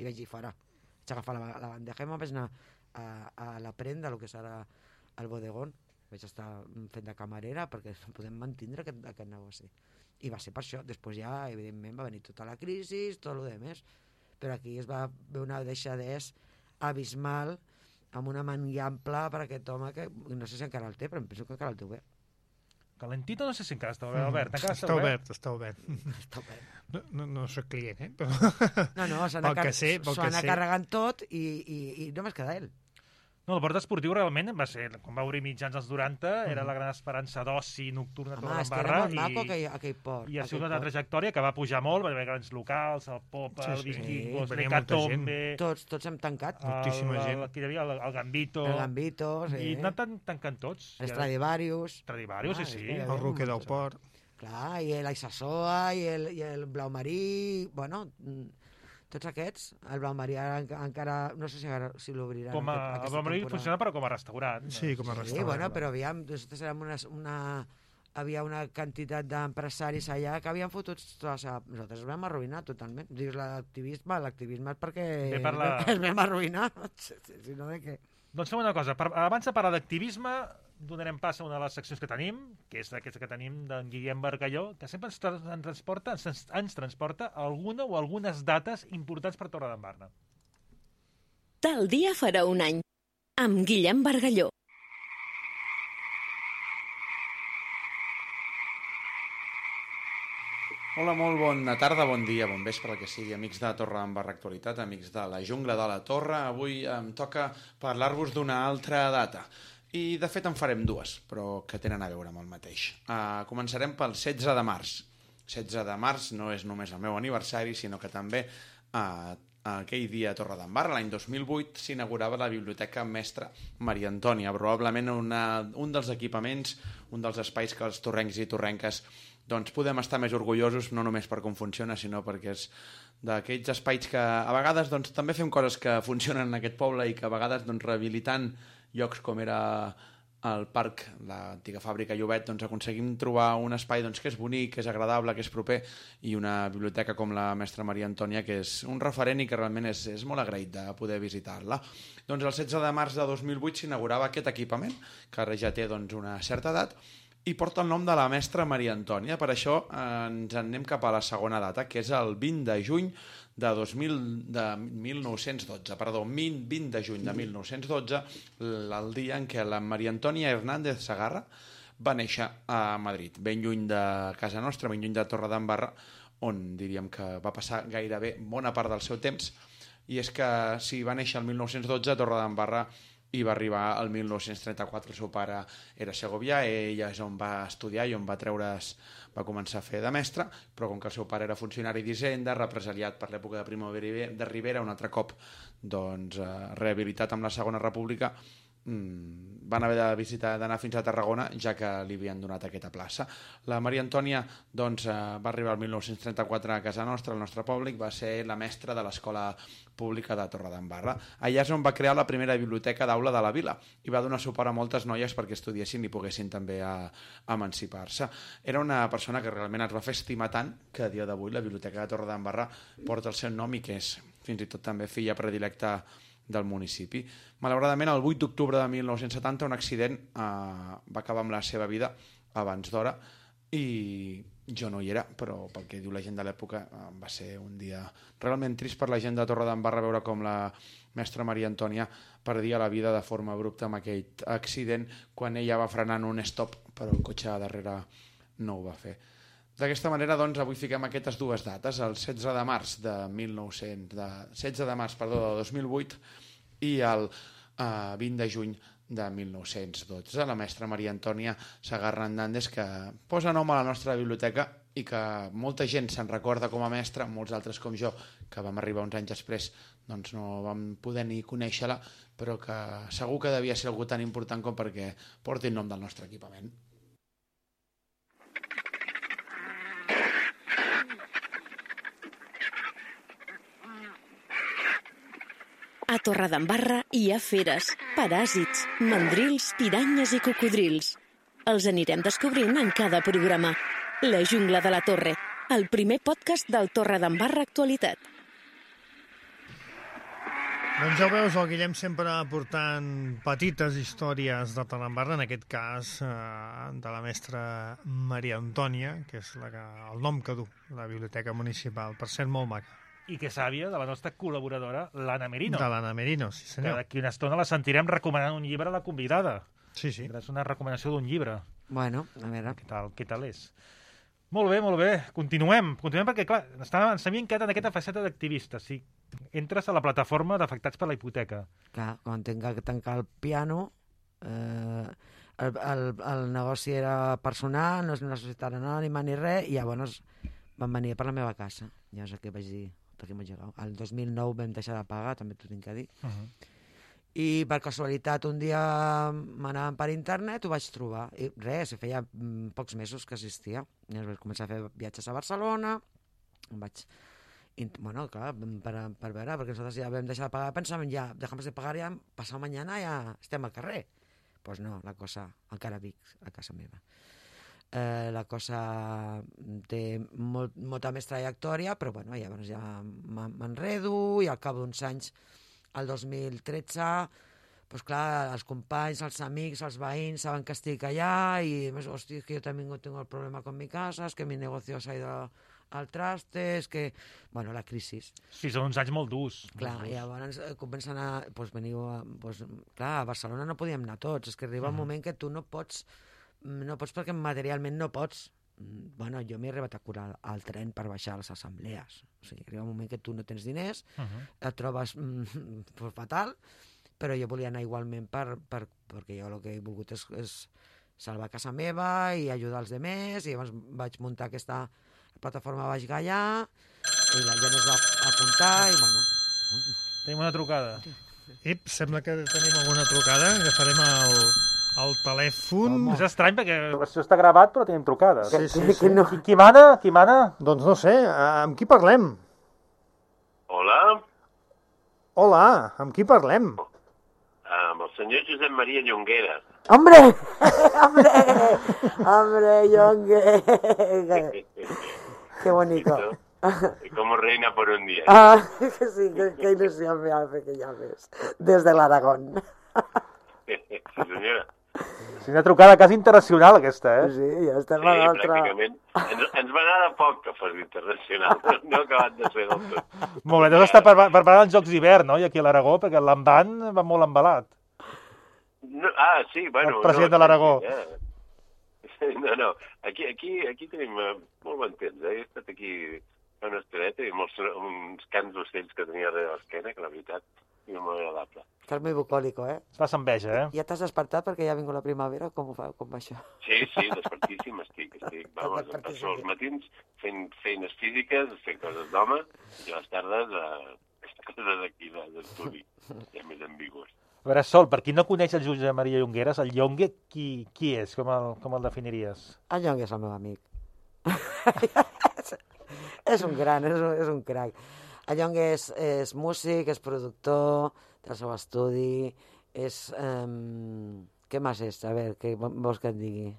I vaig dir, fora. Vaig agafar la bandeja i me'n vaig anar a la prenda, el que és ara el bodegón, vaig estar fent de camarera perquè no podem mantindre aquest negoci. I va ser per això. Després ja, evidentment, va venir tota la crisi, tot el demés, però aquí es va veure una deixadès abismal amb una mania ampla per aquest home que no sé si encara el té, però em penso que encara el té obert. Calentito no sé si encara està obert. Està obert. Està obert. No soc client, però... No, s'ho anar carregant tot i només queda ell. No, el port esportiu realment va ser, quan va obrir mitjans als 90, era la gran esperança d'oci nocturna a Torredembarra. És que era molt maco aquell port. I ha sigut una trajectòria que va pujar molt, va haver grans locals, el Popa, el Vikingos, l'Hecatombe... Tots hem tancat. Moltíssima gent. Aquí hi havia el Gambito. El Gambito, sí. I anant tancant tots. Els Stradivarius. Stradivarius, sí. El Roque del Port. Clar, i l'Aixassoa, i el Blau Marí... Bueno, tots aquests, el Blau Marí encara... No sé si l'obriran. El Blau Marí funciona però com a restaurant. Sí, com a restaurant. Sí, bueno, però aviam, nosaltres érem havia una quantitat d'empresaris allà que havien fotut... Nosaltres vam arruïnar totalment. Dius, l'activisme és perquè es vam arruïnar. Si no, de què? Doncs fem una cosa. Abans de parlar d'activisme, donarem pas a una de les seccions que tenim, que és aquesta que tenim d'en Guillem Bargalló, que sempre ens transporta alguna o algunes dates importants per Torredembarra. Tal dia farà un any, amb Guillem Bargalló. Hola, molt bona tarda, bon dia, bon vespre, el que sigui, amics de Torredembarra Actualitat, amics de la Jungla de la Torre. Avui em toca parlar-vos d'una altra data. I, de fet, en farem dues, però que tenen a veure amb el mateix. Començarem pel 16 de març. 16 de març no és només el meu aniversari, sinó que també aquell dia a Torredembarra, l'any 2008, s'inaugurava la Biblioteca Mestra Maria Antònia, probablement un dels equipaments, un dels espais que els torrencs i torrenques doncs podem estar més orgullosos, no només per com funciona, sinó perquè és d'aquells espais que a vegades doncs, també fem coses que funcionen en aquest poble i que a vegades doncs, rehabilitant llocs com era el parc, l'antiga fàbrica Llobet, doncs aconseguim trobar un espai doncs, que és bonic, que és agradable, que és proper, i una biblioteca com la Mestra Maria Antònia, que és un referent i que realment és molt agraït de poder visitar-la. Doncs el 16 de març de 2008 s'inaugurava aquest equipament, que ara ja té doncs, una certa edat, i porta el nom de la Mestra Maria Antònia. Per això ens en anem cap a la segona data, que és el 20 de juny de 1912. Perdó, 20 de juny de 1912, el dia en què la Maria Antònia Hernández Segarra va néixer a Madrid, ben lluny de casa nostra, ben lluny de Torredembarra, on diríem que va passar gairebé bona part del seu temps. I és que si va néixer el 1912 a Torredembarra i va arribar el 1934, el seu pare era segovià, ella és on va estudiar i on va va començar a fer de mestre, però com que el seu pare era funcionari d'Hisenda, represaliat per l'època de Primo de Rivera, un altre cop doncs, rehabilitat amb la Segona República, van haver d'anar fins a Tarragona, ja que li havien donat aquesta plaça. La Maria Antònia doncs, va arribar el 1934 a casa nostra, al nostre poble, i va ser la mestra de l'Escola Pública de Torredembarra. Allà és on va crear la primera biblioteca d'aula de la vila i va donar suport a moltes noies perquè estudiessin i poguessin també emancipar-se. Era una persona que realment es va fer estimar tant que a dia d'avui la Biblioteca de Torredembarra porta el seu nom i que és fins i tot també filla predilecta del municipi. Malauradament, el 8 d'octubre de 1970, un accident va acabar amb la seva vida abans d'hora i jo no hi era, però pel que diu la gent de l'època va ser un dia realment trist per la gent de Torredembarra veure com la Mestra Maria Antònia perdia la vida de forma abrupta amb aquell accident quan ella va frenar en un stop, però el cotxe darrere no ho va fer. D'aquesta manera, doncs, avui fiquem aquestes dues dates, el 16 de març de 2008 i el 20 de juny de 1912. La Mestra Maria Antònia Segarra Hernández, que posa nom a la nostra biblioteca i que molta gent se'n recorda com a mestra, molts altres com jo, que vam arribar uns anys després, doncs no vam poder ni conèixer-la, però que segur que devia ser algú tan important com perquè porti el nom del nostre equipament. A Torredembarra hi ha feres, paràsits, mandrils, piranyes i cocodrils. Els anirem descobrint en cada programa. La Jungla de la Torre, el primer podcast del Torredembarra Actualitat. Doncs ja ho veus, el Guillem sempre aportant petites històries de Talambarra, en aquest cas de la mestra Maria Antònia, que és el nom que du la Biblioteca Municipal, per ser molt maca. I que sàvia de la nostra col·laboradora, l'Anna Merino. De l'Anna Merino, sí senyor. Que d'aquí una estona la sentirem recomanant un llibre a la convidada. Sí, sí. És una recomanació d'un llibre. Bueno, a veure. Què tal és? Molt bé. Continuem perquè, clar, ens havíem quedat en aquesta faceta d'activista. Si entres a la plataforma d'afectats per la hipoteca. Clar, quan tinc que tancar el piano, el negoci era personal, no és una societat anònima ni res, i llavors van venir per la meva casa. Llavors aquí vaig dir, per què m'ho llegat? El 2009 vam deixar de pagar, també t'ho tinc que dir. I per casualitat un dia m'anàvem per internet, ho vaig trobar. I res, feia pocs mesos que existia. Llavors vaig començar a fer viatges a Barcelona, vaig... Bueno, clar, per veure, perquè nosaltres ja vam deixar de pagar, pensàvem ja, dejamos de pagar ja, passat mañana ja estem al carrer. Doncs no, la cosa, encara vic a casa meva. La cosa té molta més trajectòria, però bueno, llavors ja m'enredo i al cap d'uns anys, el 2013, doncs clar, els companys, els amics, els veïns saben que estic allà i més, hòstia, que jo també tengo el problema con mi casa, es que mi negocio s'ha ido al traste, és que... Bueno, la crisi. Sí, són uns anys molt durs. Clar, i llavors comencen a... Doncs veniu a... Clar, a Barcelona no podíem anar tots, és que arriba un moment que tu no pots perquè materialment no pots. Bueno, jo m'he arribat a curar al tren per baixar a les assemblees. O sigui, arriba un moment que tu no tens diners, et trobes fatal, però jo volia anar igualment perquè jo el que he volgut és salvar casa meva i ajudar els demés, i llavors vaig muntar aquesta plataforma Baix Gaià, i la gent es va apuntar, i bueno... Tenim una trucada. Sembla que tenim alguna trucada, agafarem el telèfon. És estrany perquè això està gravat, però tenim trucades. Sí. Qui mana? Doncs no sé, amb qui parlem? Hola, amb qui parlem? Amb el senyor Josep Maria Llonguera. ¡Hombre! Llonguera! ¡Qué bonito! Como reina por un día. Ah, sí, qué ilusión me hace que llames. Desde el Aragón. Sí, senyora. És una trucada quasi internacional, aquesta, Sí, ja estem a l'altra. Pràcticament. Ens va anar de poc que fos internacional. No ha acabat de ser del tot. Molt bé, deus estar preparant els Jocs d'hivern, no? I aquí a l'Aragó, perquè l'Envan va molt embalat. Sí, bueno... El president de l'Aragó. No, aquí tenim molt bon temps, He estat aquí una estoneta i uns cants d'ocells que tenia darrere l'esquena, que la veritat és molt agradable. Estàs molt bucòlico, Fas enveja, Ja t'has despertat perquè ja ha vingut la primavera? Com va això? Sí, despertíssim estic. Vamos, passo els matins fent feines físiques, fent coses d'home, i a les tardes coses aquí d'estudi, ja més ambigües. A veure, Sol, per qui no coneix el Josep Maria Llongueras, el Llongue, qui és? Com el definiries? El Llongue és el meu amic. És un gran, és un crac. El Llongue és músic, és productor, té el seu estudi, és... Què més és? A veure, què vols que et digui?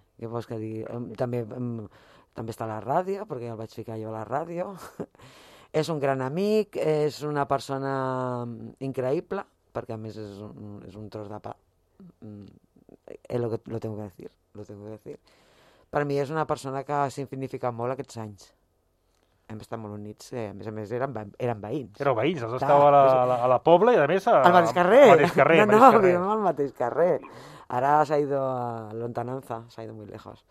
També està a la ràdio, perquè el vaig ficar jo a la ràdio. És un gran amic, és una persona increïble, perquè a més és un tros de pa. Lo tengo que decir. Per mi és una persona que ha significat molt aquests anys. Hem estat molt units, a més eren veïns. Éreu veïns, estàveu a la Pobla i a més al mateix carrer. No, vivim al mateix carrer. Ara s'ha ido a lontananza, s'ha ido muy lejos.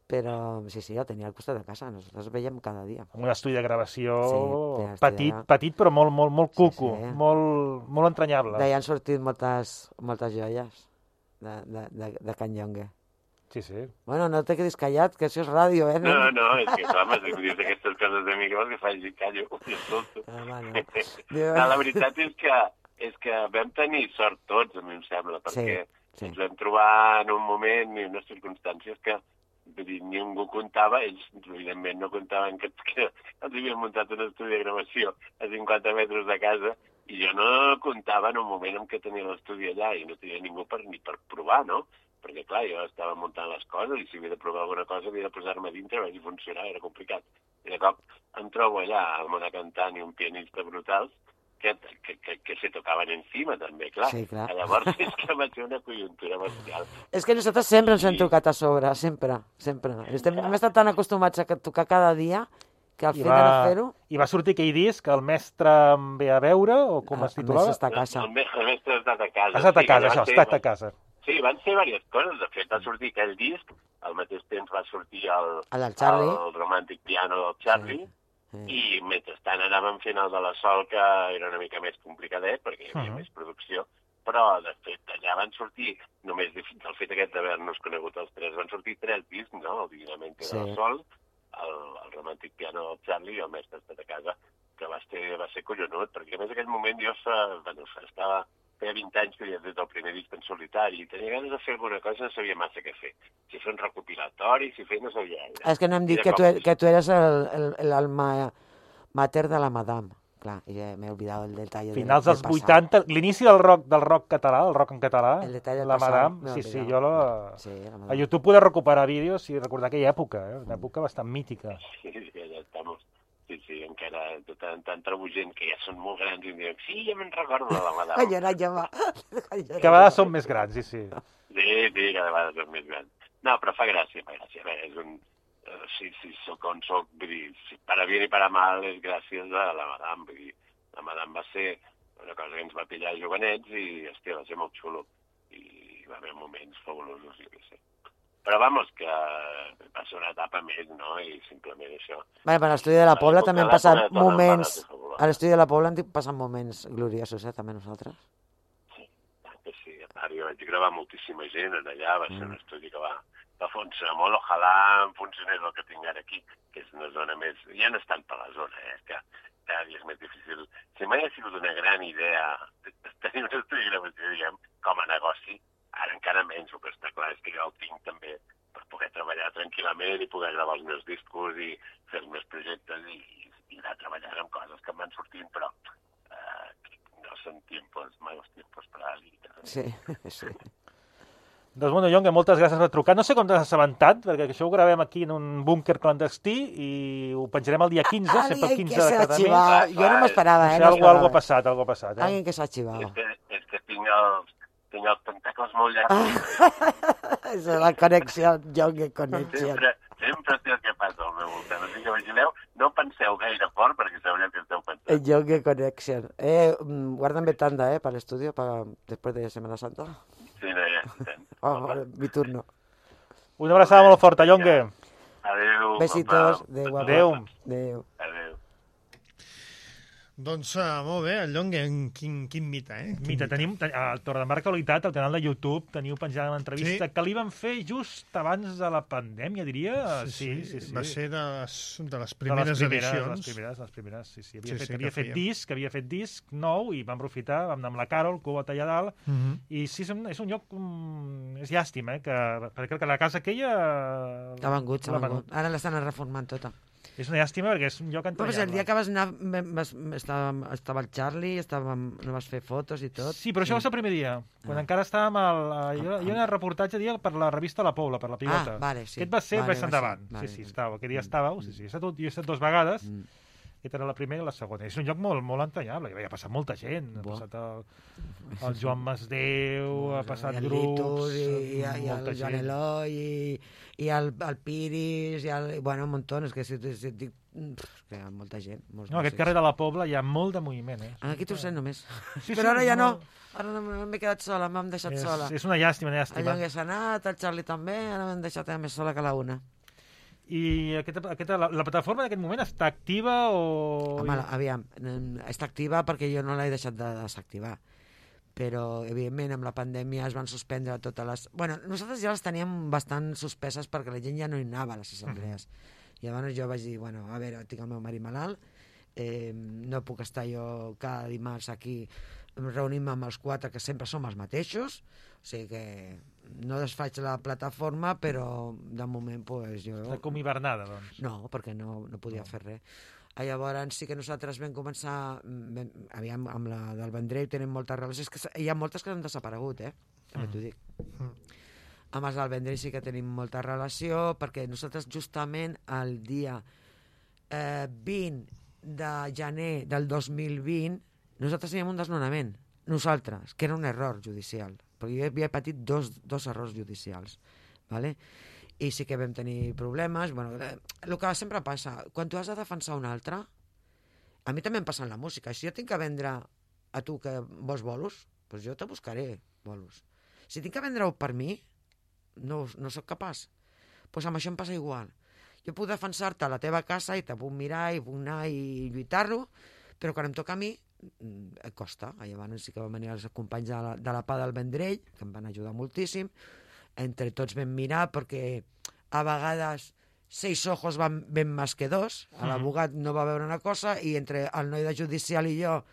Però sí, el tenia al costat de casa, nosaltres veiem cada dia. Un estudi de gravació petit però molt cuco, molt entranyable. D'allà han sortit moltes joies de Can Llongue. Sí. Bueno, no te quedis callat, que això és ràdio, No, és que clar, si em dius aquestes coses de mi, que vols que faci callo? La veritat és que vam tenir sort tots, a mi em sembla, perquè ens vam trobar en un moment i unes circumstàncies que ningú comptava, ells evidentment no comptaven que els havien muntat un estudi de gravació a 50 metres de casa, i jo no comptava en un moment en què tenia l'estudi allà i no tenia ningú ni per provar, no? Perquè, clar, jo estava muntant les coses i si havia de provar alguna cosa havia de posar-me a dintre, a veure si funcionava, era complicat. I de cop em trobo allà amb una cantant i un pianista brutals que se tocaven encima, també, clar. Sí, clar. Llavors és que va ser una conjuntura bestial. És que nosaltres sempre ens hem tocat a sobre, sempre. Hem estat tan acostumats a tocar cada dia que al fet de no fer-ho... I va sortir aquell disc, El mestre em ve a veure, o com es titulava? El mestre està a casa. El mestre ha estat a casa. Ha estat a casa, això, ha estat a casa. Sí, van ser diverses coses. De fet, va sortir aquell disc, al mateix temps va sortir el Romantic Piano del Charlie, i mentrestant anàvem fent el de la Sol, que era una mica més complicadet, perquè hi havia més producció, però, de fet, allà van sortir, només del fet aquest d'haver-nos conegut els tres, van sortir 3 discs, no? El Divinamente de la Sol, el Romantic Piano del Charlie i el Mestre ha estat a casa, que va ser collonut, perquè a més aquell moment jo feia 20 anys que havia fet el primer disc en solitari i tenia ganes de fer alguna cosa, no sabia massa què fer. Si fer un recopilatori, si fer no sabia. És que no hem dit que tu eres l'alma mater de la Madame. Clar, ja m'he oblidat el detall. Finals dels 80, l'inici del rock català, el rock en català, la Madame, sí, jo a YouTube poder recuperar vídeos i recordar aquella època, una època bastant mítica. Sí, ja estamos. Sí, encara tan trebugent que ja són molt grans i diuen, sí, ja me'n recordo de la Madame. Cada vegada són més grans, sí. Sí, cada vegada són més grans. No, però fa gràcia. És un... Si soc on soc, vull dir, per a bien i per a mal és gràcies a la Madame. Vull dir, la Madame va ser una cosa que ens va pillar jovenets i, hòstia, va ser molt xulo. I va haver moments fabulosos, jo què sé. Però, vamos, que va ser una etapa més, no? I simplement això. Bé, per l'estudi de la Pobla també han passat moments... A l'estudi de la Pobla han passat moments gloriosos, també nosaltres. Sí, a part, jo vaig gravar moltíssima gent allà, va ser un estudi que va funcionar molt. Ojalà em funcionés el que tinc ara aquí, que és una zona més... Ja no és tant per la zona, que cada dia és més difícil. Si mai ha sigut una gran idea tenir un estudi de gravació, diguem, com a negoci, ara encara menys, el que està clar és que jo el tinc també per poder treballar tranquil·lament i poder gravar els meus discos i fer els meus projectes i anar treballant amb coses que em van sortint, però no són malos tiempos para la vida. Sí. Doncs, bueno, Jonge, moltes gràcies per trucar. No sé com t'has assabentat, perquè això ho gravem aquí en un búnquer clandestí i ho penjarem el dia 15, sempre el 15 de cada mes. Jo no m'esperava, Algo ha passat. Alguien que s'ha arxivat. És que tinc els tentacles molt llargs. És la connexió, Jonge Connection. Sempre sé el que passa al meu voltant. Així que vigileu, no penseu gaire fort perquè sabreu què esteu pensant. El Jonge Connection. Guárdame tanda, para el estudio, después de Semana Santa. Sí, no, ja. Mi turno. Una abraçada molt forta, Jonge. Adéu. Besitos. Adéu. Adéu. Doncs molt bé, el Jonge, quin mite, Mite, tenim al Torredembarra Actualitat, al canal de YouTube, teniu penjada una entrevista que li van fer just abans de la pandèmia, diria. Sí. Va ser de les primeres edicions. Les primeres, sí. Havia fet disc nou i vam aprofitar, vam anar amb la Carol, Cuba allà dalt, i sí, és un lloc... És llàstima, perquè la casa aquella... S'ha vengut. Ara l'estan reformant tota. És una llàstima perquè és un lloc entranyable. Però el dia que vas anar estava el Charlie, no vas fer fotos i tot. Sí, però això va ser el primer dia, quan encara estàvem hi havia un reportatge per la revista La Pobla, per la Pivota. Vale, sí. Aquest va ser més endavant. Sí, estava. Aquest dia estàveu. Sí. Jo he estat 2 vegades. Aquesta era la primera i la segona. És un lloc molt, molt entranyable. Hi ha passat molta gent. Ha passat el Joan Masdeu, ha passat grups... I el Joan Eloi, i el Piris, bueno, un muntó. És que si et dic... que hi ha molta gent. No, aquest carrer de la Pobla hi ha molt de moviment. Aquí t'ho sé només. Però ara ja no. Ara m'he quedat sola, m'hem deixat sola. És una llàstima. El Jonge s'ha anat, el Charlie també, ara m'hem deixat més sola que la una. I la plataforma en aquest moment està activa o...? Home, aviam, està activa perquè jo no l'he deixat de desactivar. Però, evidentment, amb la pandèmia es van suspendre totes les... Bueno, nosaltres ja les teníem bastant suspeses perquè la gent ja no hi anava a les assemblees. I llavors jo vaig dir, bueno, a veure, tinc el meu marit malalt, no puc estar jo cada dimarts aquí reunint-me amb els 4, que sempre som els mateixos, o sigui que no desfaig la plataforma, però de moment pues, jo... Està com hivernada, doncs. No, perquè no podia fer res. Llavors sí que nosaltres vam començar, aviam, amb la del Vendrell tenim moltes relacions, que hi ha moltes que han desaparegut, també t'ho dic. Amb els del Vendrell sí que tenim molta relació, perquè nosaltres justament el dia 20 de gener del 2020 Nosaltres teníem un desnonament, nosaltres, que era un error judicial, perquè jo havia patit dos errors judicials, ¿vale? I sí que vam tenir problemes. Bueno, el que sempre passa, quan tu has de defensar un altre, a mi també em passa en la música. Si jo tinc que vendre a tu que vols bolos, doncs jo te buscaré bolos. Si tinc que vendre-ho per mi, no sóc capaç. Doncs amb això em passa igual. Jo puc defensar-te a la teva casa i te puc mirar i puc anar i lluitar-lo, però quan em toca a mi, et costa. Llavors sí que van venir els companys de la PA del Vendrell, que em van ajudar moltíssim. Entre tots vam mirar, perquè a vegades 6 ojos ven més que 2. L'abogat no va veure una cosa, i entre el noi de judicial i jo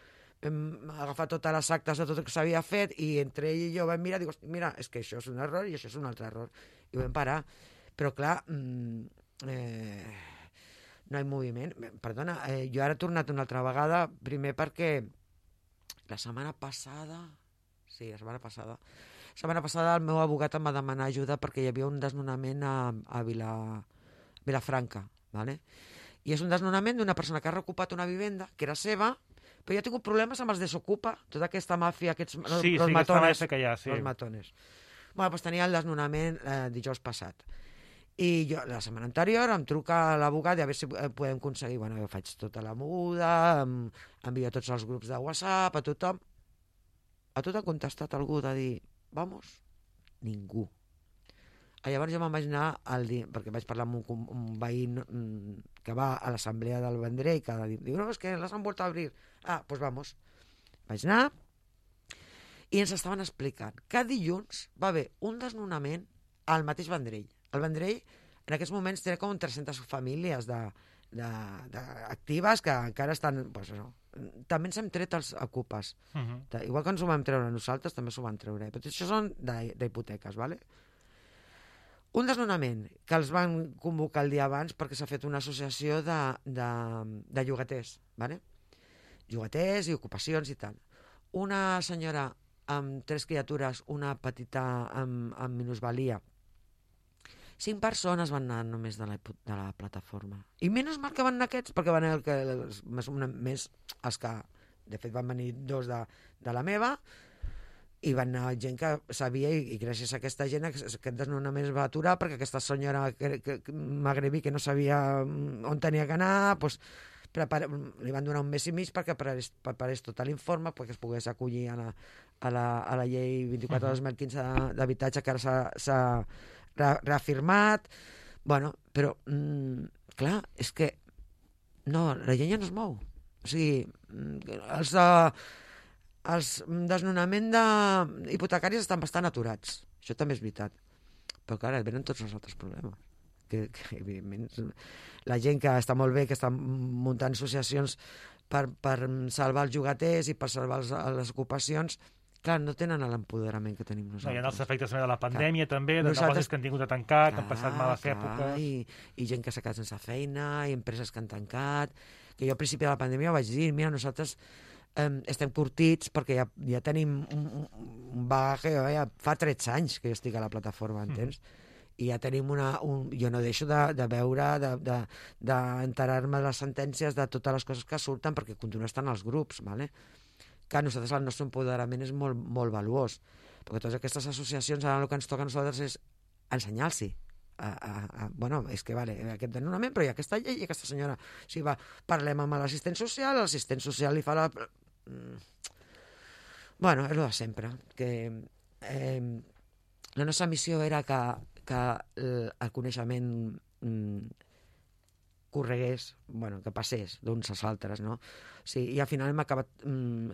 vam agafar totes les actes de tot el que s'havia fet, i entre ell i jo vam mirar, dic, mira, és que això és un error i això és un altre error. I ho vam parar. Però clar, no hi ha moviment. Perdona, jo ara he tornat una altra vegada, primer perquè la setmana passada el meu abogat em va demanar ajuda perquè hi havia un desnonament a Vilafranca, ¿vale? I és un desnonament d'una persona que ha recupat una vivenda que era seva, però jo he tingut problemes amb els desocupa, tota aquesta màfia, aquests los matones. Los matones. Bueno, doncs tenia el desnonament dijous passat. I jo, la setmana anterior, em truca l'abogat i a veure si podem aconseguir. Bueno, jo faig tota la moguda, envio a tots els grups de WhatsApp, a tothom. A tot ha contestat algú de dir, vamos, ningú. Llavors jo me'n vaig anar perquè vaig parlar amb un veí que va a l'assemblea del Vendrell, que diu, no, és que les han vuelto a abrir. Pues vamos. Vaig anar i ens estaven explicant que dilluns va haver un desnonament al mateix Vendrell. El Vendrell en aquests moments té com 300 famílies actives que encara estan... Pues això. També ens hem tret els ocupes. Igual que ens ho vam treure nosaltres, també s'ho van treure. Però això són d'hipoteques, ¿vale? Un desnonament que els van convocar el dia abans perquè s'ha fet una associació de llogaters, ¿vale? Llogaters i ocupacions i tal. Una senyora amb 3 criatures, una petita amb minusvalia. 5 persones van anar només de la plataforma. I menys mal que van anar aquests, perquè van anar més els que, de fet, van venir 2 de la meva, i van anar gent que sabia, i gràcies a aquesta gent aquest desnonament es va aturar, perquè aquesta senyora magrebí que no sabia on tenia que anar, doncs li van donar un mes i mig perquè preparés tot l'informe, perquè es pogués acollir a la llei 24/2015 d'habitatge, que ara s'ha reafirmat. Bueno, però clar, és que no, la gent ja no es mou. O sigui, els desnonaments hipotecaris estan bastant aturats, això també és veritat, però clar, venen tots els altres problemes que evidentment la gent que està molt bé, que està muntant associacions per salvar els llogaters i per salvar les ocupacions, clar, no tenen l'empoderament que tenim nosaltres. Hi ha els efectes de la pandèmia, també, de negocis que han tingut de tancar, que han passat males èpoques. I gent que s'ha quedat sense feina, i empreses que han tancat, que jo al principi de la pandèmia vaig dir, mira, nosaltres estem curtits perquè ja tenim un bagaje, ja fa 13 anys que jo estic a la plataforma, entens? I ja tenim jo no deixo de veure, d'enterar-me de les sentències, de totes les coses que surten, perquè continuen estant als grups, ¿vale? Que nosaltres el nostre empoderament és molt, molt valuós, perquè totes aquestes associacions ara el que ens toca a nosaltres és ensenyar-los. Bueno, és que vale, aquest desnonament, però hi ha aquesta llei i aquesta senyora, o sigui, parlem amb l'assistent social, l'assistent social li fa la... Bueno, és el de sempre, que la nostra missió era que el coneixement corregués, bueno, que passés d'uns als altres, no? Sí, i al final hem acabat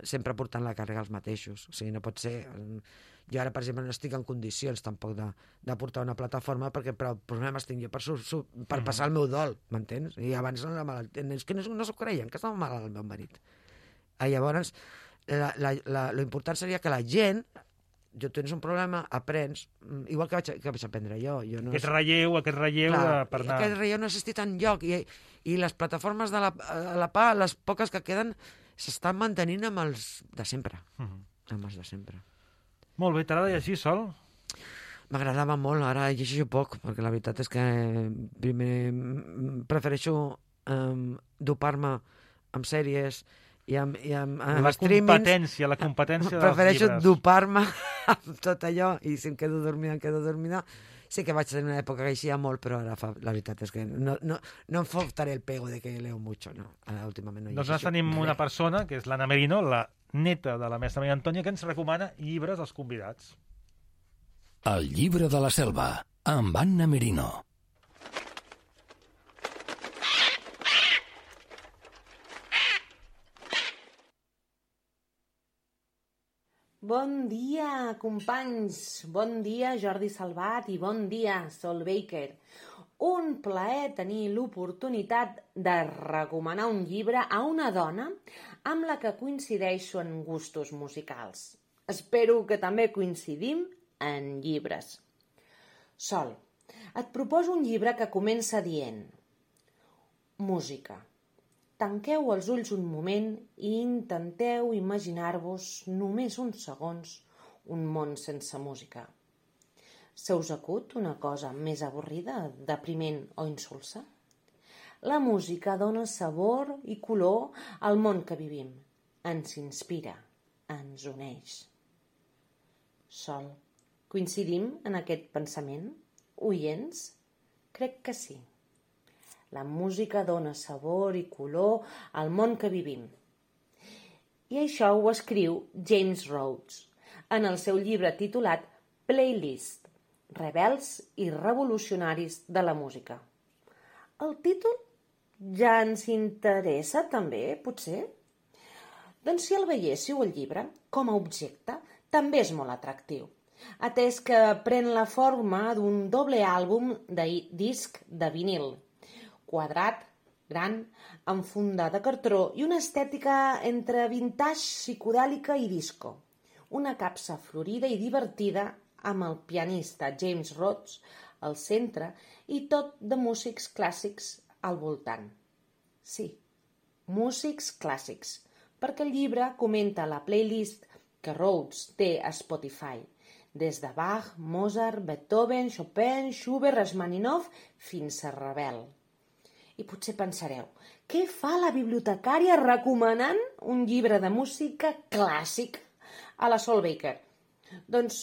sempre portant la càrrega als mateixos. O sigui, no pot ser... Jo ara, per exemple, no estic en condicions tampoc de portar una plataforma perquè prou problemes tinc jo per passar el meu dol, m'entens? I abans és que no s'ho creien, que estava malalt el meu marit. Llavors, l'important seria que la gent, tens un problema, aprens, igual que vaig aprendre jo. Aquest relleu clar, per anar... Aquest relleu no ha existit enlloc, i les plataformes de la PA, les poques que queden, s'estan mantenint amb els de sempre. Amb els de sempre. Molt bé, t'agrada llegir, Sol? M'agradava molt, ara llegeixo poc, perquè la veritat és que primer prefereixo dopar-me amb sèries I amb La streamings... competència dels llibres. Prefereixo dopar-me amb tot allò i si em quedo dormida. Sí que vaig tenir una època que eixia molt, però ara la veritat és que no em faltaré el pego de que leo mucho, no. Últimament no Doncs nosaltres tenim una persona, que és l'Anna Merino, la neta de la mestra Maria Antònia, que ens recomana llibres als convidats. El llibre de la selva, amb Anna Merino. Bon dia, companys. Bon dia, Jordi Salvat, i bon dia, Sol Baker. Un plaer tenir l'oportunitat de recomanar un llibre a una dona amb la que coincideixo en gustos musicals. Espero que també coincidim en llibres. Sol, et proposo un llibre que comença dient: música. Tanqueu els ulls un moment i intenteu imaginar-vos només uns segons un món sense música. Se us acut una cosa més avorrida, depriment o insulsa? La música dona sabor i color al món que vivim. Ens inspira, ens uneix. Sol, coincidim en aquest pensament? Oients? Crec que sí. La música dona sabor i color al món que vivim. I això ho escriu James Rhodes en el seu llibre titulat Playlist, rebels i revolucionaris de la música. El títol ja ens interessa també, potser? Doncs si el veiéssiu el llibre, com a objecte, també és molt atractiu, atès que pren la forma d'un doble àlbum de disc de vinil, quadrat, gran, amb funda de cartró i una estètica entre vintage, psicodèlica i disco. Una capsa florida i divertida amb el pianista James Rhodes al centre i tot de músics clàssics al voltant. Sí, músics clàssics, perquè el llibre comenta la playlist que Rhodes té a Spotify, des de Bach, Mozart, Beethoven, Chopin, Schubert, Rachmaninoff fins a Ravel. I potser pensareu, què fa la bibliotecària recomanant un llibre de música clàssic a la Sol Baker? Doncs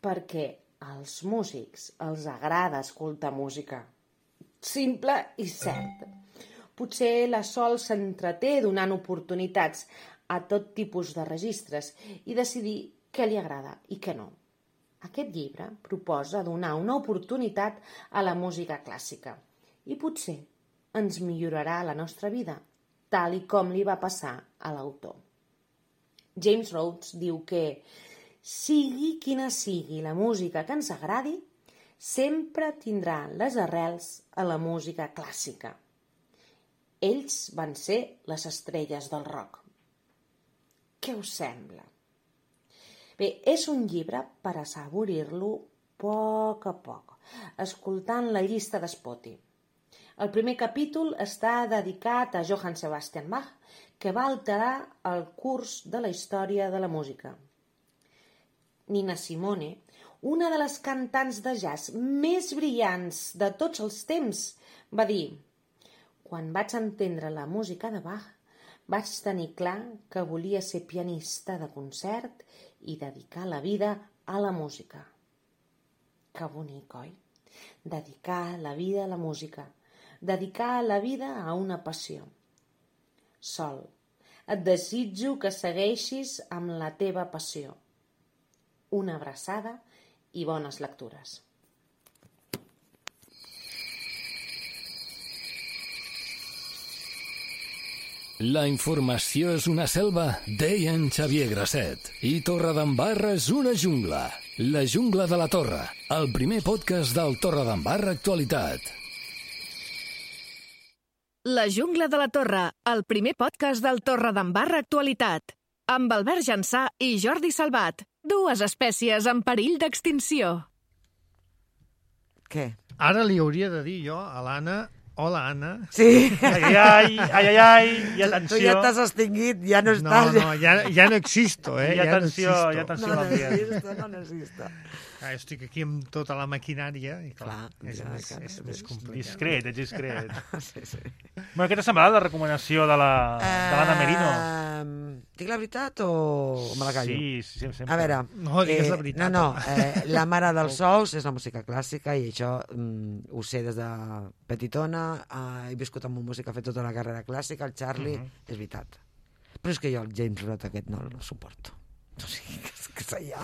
perquè als músics els agrada escoltar música. Simple i cert. Potser la Sol s'entreté donant oportunitats a tot tipus de registres i decidir què li agrada i què no. Aquest llibre proposa donar una oportunitat a la música clàssica i potser ens millorarà la nostra vida, tal i com li va passar a l'autor. James Rhodes diu que, sigui quina sigui la música que ens agradi, sempre tindrà les arrels a la música clàssica. Ells van ser les estrelles del rock. Què us sembla? Bé, és un llibre per assaborir-lo a poc, escoltant la llista de Spotify. El primer capítol està dedicat a Johann Sebastian Bach, que va alterar el curs de la història de la música. Nina Simone, una de les cantants de jazz més brillants de tots els temps, va dir: quan vaig entendre la música de Bach, vaig tenir clar que volia ser pianista de concert i dedicar la vida a la música. Que bonic, oi? Dedicar la vida a la música. Dedicar la vida a una passió. Sol, et desitjo que segueixis amb la teva passió. Una abraçada i bones lectures. La informació és una selva, deia en Xavier Grasset. I Torredembarra és una jungla. La jungla de la Torre, el primer podcast del Torredembarra Actualitat. La jungla de la Torre, el primer podcast del Torredembarra Actualitat. Amb Albert Jansà i Jordi Salvat, dues espècies en perill d'extinció. Què? Ara li hauria de dir jo a l'Anna: hola, Anna. Sí. Ai, i atenció. Tu ja t'has extingit, ja no estàs... No, ja no existo, I atenció, i atenció a l'ambient. No n'exista. Estic aquí amb tota la maquinària i clar, és més complicat. Discret. Sí. Bueno, què t'ha semblat la recomanació de l'Anna Merino? Dic la veritat o me la callo? Sí, sempre. A veure... No, digues la veritat. No, La mare dels ous és la música clàssica i això ho sé des de petitona, he viscut amb un músic que ha fet tota la carrera clàssica, el Charlie, és veritat. Però és que jo el James Roth aquest no el suporto. No sé, que sé jo.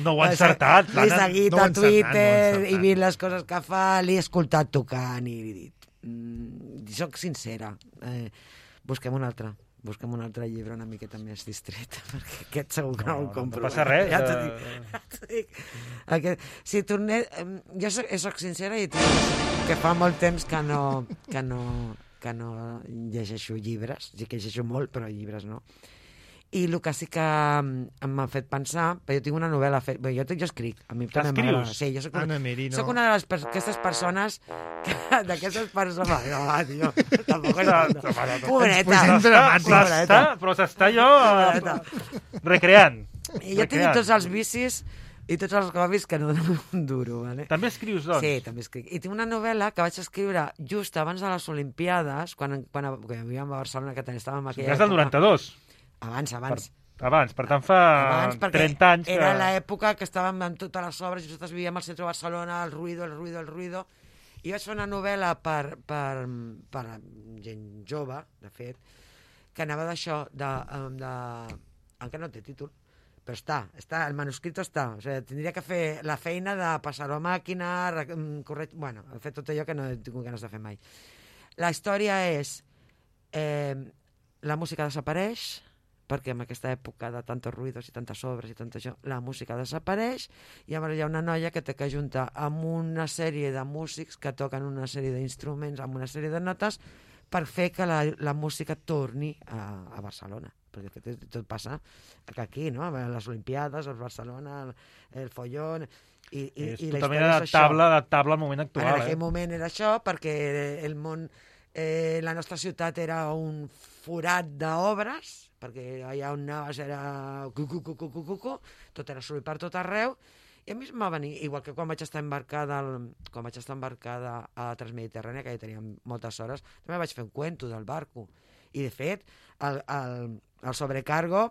No ho ha encertat. L'he seguit a Twitter i vist les coses que fa, l'he escoltat tocant i he dit, soc sincera, busquem un altre llibre una miqueta més distret, perquè aquest segur que no el compro. No passa res. Ja t'ho dic. Si tornés... Jo soc sincera i que fa molt temps que no llegeixo llibres, sí que llegeixo molt, però llibres no. I el que sí que m'ha fet pensar, però jo tinc una novel·la feta, jo escric, a mi també m'agrada. Sí, jo soc una d'aquestes persones, d'aquestes persones, no, tio, tampoc és... Pobreta. Però s'està jo recreant. I jo tinc tots els vicis i tots els hobbies que no donen un duro, ¿vale? També escrius, doncs? Sí, també escric. I tinc una novel·la que vaig escriure just abans de les Olimpiades, quan vivíem a Barcelona, que estàvem en aquella època. És del 92? Abans, per tant fa 30 anys. Era l'època que estàvem amb totes les obres i nosaltres vivíem al centre de Barcelona, el ruido, i vaig fer una novel·la per gent jove, de fet, que anava d'això, encara no té títol, però està, el manuscrit està, o sigui, tindria que fer la feina de passar-ho a màquina, fer tot allò que no he tingut ganes de fer mai. La història és la música desapareix, perquè en aquesta època de tantos ruïdos i tantes obres i tant això, la música desapareix i llavors hi ha una noia que té que ajuntar amb una sèrie de músics que toquen una sèrie d'instruments amb una sèrie de notes per fer que la música torni a Barcelona, perquè tot passa aquí, no? Les Olimpiades, el Barcelona, el follón... És totalment adaptable al moment actual. En aquell moment era això, perquè el món... la nostra ciutat era un forat d'obres, perquè allà on anaves era tot era soroll per tot arreu, i a mi em va venir, igual que quan vaig estar embarcada a Transmediterrània, que ja teníem moltes hores, també vaig fer un cuento del barco, i de fet el sobrecargo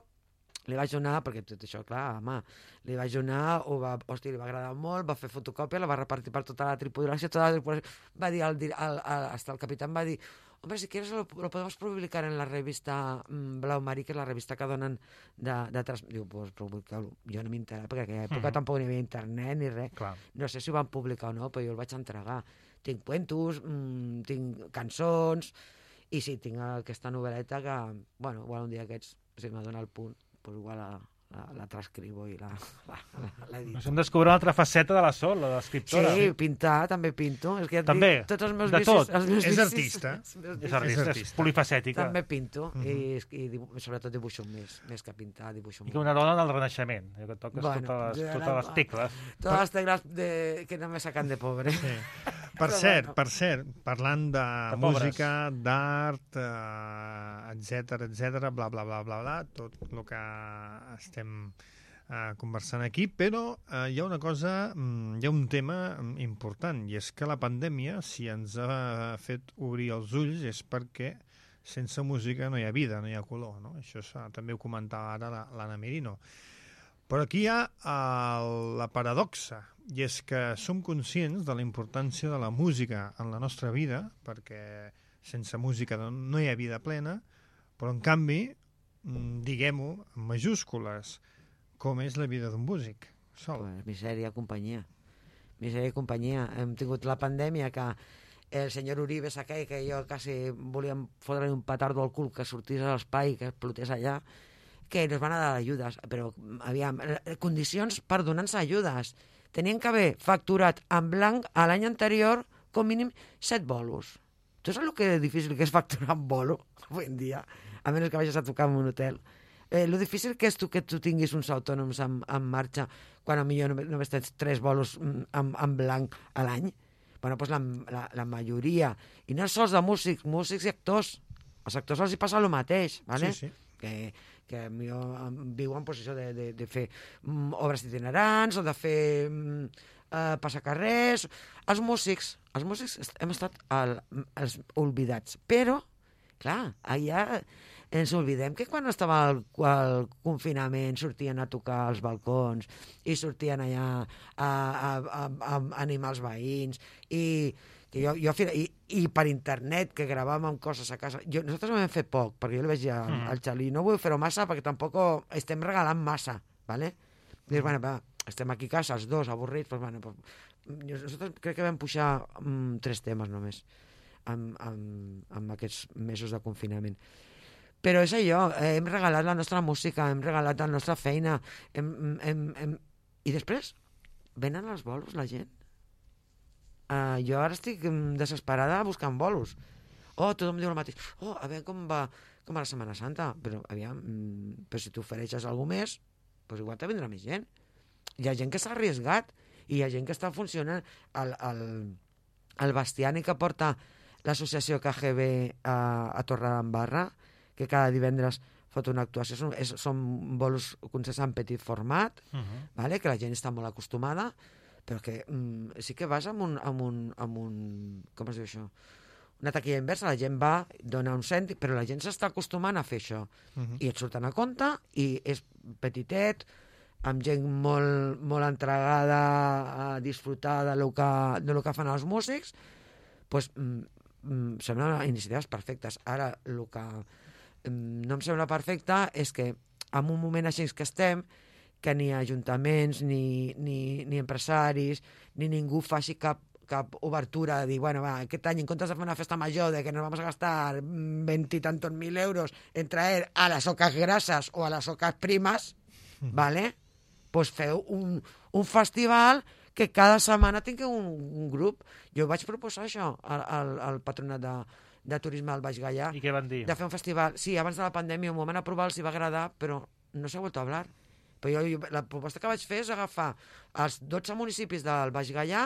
li vaig donar, perquè tot això, clar, home, li vaig donar, li va agradar molt, va fer fotocòpia, la va repartir per tota la tripulació, va dir, hasta el capitán va dir, hombre, si quieres lo podemos publicar en la revista Blau Marí, que és la revista que donen de diu, pues publicar-lo. Jo no m'interessa, perquè en aquella època tampoc hi havia internet ni res. Clar. No sé si ho van publicar o no, però jo el vaig entregar. Tinc cuentos, tinc cançons, i sí, tinc aquesta novel·leta que, bueno, igual un dia aquests, si m'adona el punt, pues igual la transcribo i l'edito. Ens hem descobert una altra faceta de la Sol, la d'escriptora. Sí, pintar, també pinto. És que ja també, dic, tots els meus de vicis, tot. És artista. És polifacètica. També pinto, i sobretot dibuixo més que pintar, dibuixo molt. I que una dona del Renaixement, que toques totes les tecles. Totes les tecles que no me sacan de pobre. Sí. Per cert, parlant de música, d'art, etc, bla, bla, bla, bla, bla, tot el que estem conversant aquí, però hi ha una cosa, hi ha un tema important, i és que la pandèmia, si ens ha fet obrir els ulls, és perquè sense música no hi ha vida, no hi ha color, no? Això també ho comentava ara l'Anna Merino. Però aquí hi ha la paradoxa, i és que som conscients de la importància de la música en la nostra vida, perquè sense música no hi ha vida plena, però en canvi, diguem-ho en majúscules, com és la vida d'un músic. Sol. Misèria, companyia. Misèria i companyia. Hem tingut la pandèmia que el senyor Uribe aquell, que jo quasi volíem fotre un petardo al cul que sortís a l'espai, que explotés allà, que nos van a dar ajudes, però aviam, condicions per donar-nos ajudes. Tenien que haver facturat en blanc a l'any anterior com mínim 7 bolos. Tu saps el que difícil que és facturar en bolo avui en dia? A menys que vagis a tocar en un hotel. Lo difícil que és que tu tinguis uns autònoms en marxa quan potser només tens 3 bolos en blanc a l'any. Bueno, doncs la majoria, i no sols de músics i actors. Els actors els hi passa el mateix, ¿vale? Sí. Que viuen en posició de fer obres itinerants o de fer passacarrers. Els músics hem estat els oblidats, però clar, allà ens oblidem que quan estava el confinament sortien a tocar als balcons i sortien allà a animar els veïns i per internet que gravàvem coses a casa. Nosaltres ho hem fet poc, perquè jo li vaig dir al Xali, no vull fer-ho massa perquè tampoc estem regalant massa, ¿vale? Dius, bueno, va, estem aquí a casa, els dos, avorrits, pues, bueno, pues, nosaltres crec que vam pujar 3 temes només amb aquests mesos de confinament. Però és allò, hem regalat la nostra música, hem regalat la nostra feina, i després venen els bolos, la gent. Jo ara estic desesperada buscant bolos. Tothom diu el mateix. A veure com va la Setmana Santa. Però, aviam, però si t'ofereixes alguna més, doncs igual te vindrà més gent. Hi ha gent que s'ha arriesgat i hi ha gent que està funcionant. El Bastiani que porta l'associació KGB a Torredembarra, que cada divendres fot una actuació, són bolos concerts en petit format, vale? Que la gent està molt acostumada, però que sí que vas amb un com es diu això? Una taquilla inversa, la gent va, dona un cèntim, però la gent s'està acostumant a fer això. I et surten a compte, i és petitet, amb gent molt entregada a disfrutar de lo que fan els músics, doncs semblen iniciatives perfectes. Ara, el que no em sembla perfecte és que en un moment així que estem, que ni ajuntaments, ni empresaris, ni ningú faci cap obertura de dir, bueno, va, aquest any en comptes de fer una festa major de que nos vamos a gastar 20 y tantos mil euros en traer a las ocas grasas o a las ocas primas, ¿vale? Pues feu un festival que cada setmana tingui un grup. Jo vaig proposar això al patronat de turisme del Baix Gaià. I què van dir? De fer un festival. Sí, abans de la pandèmia m'ho van aprovar, els hi va agradar, però no s'ha vuelto a hablar. Però la proposta que vaig fer és agafar els 12 municipis del Baix Gaià.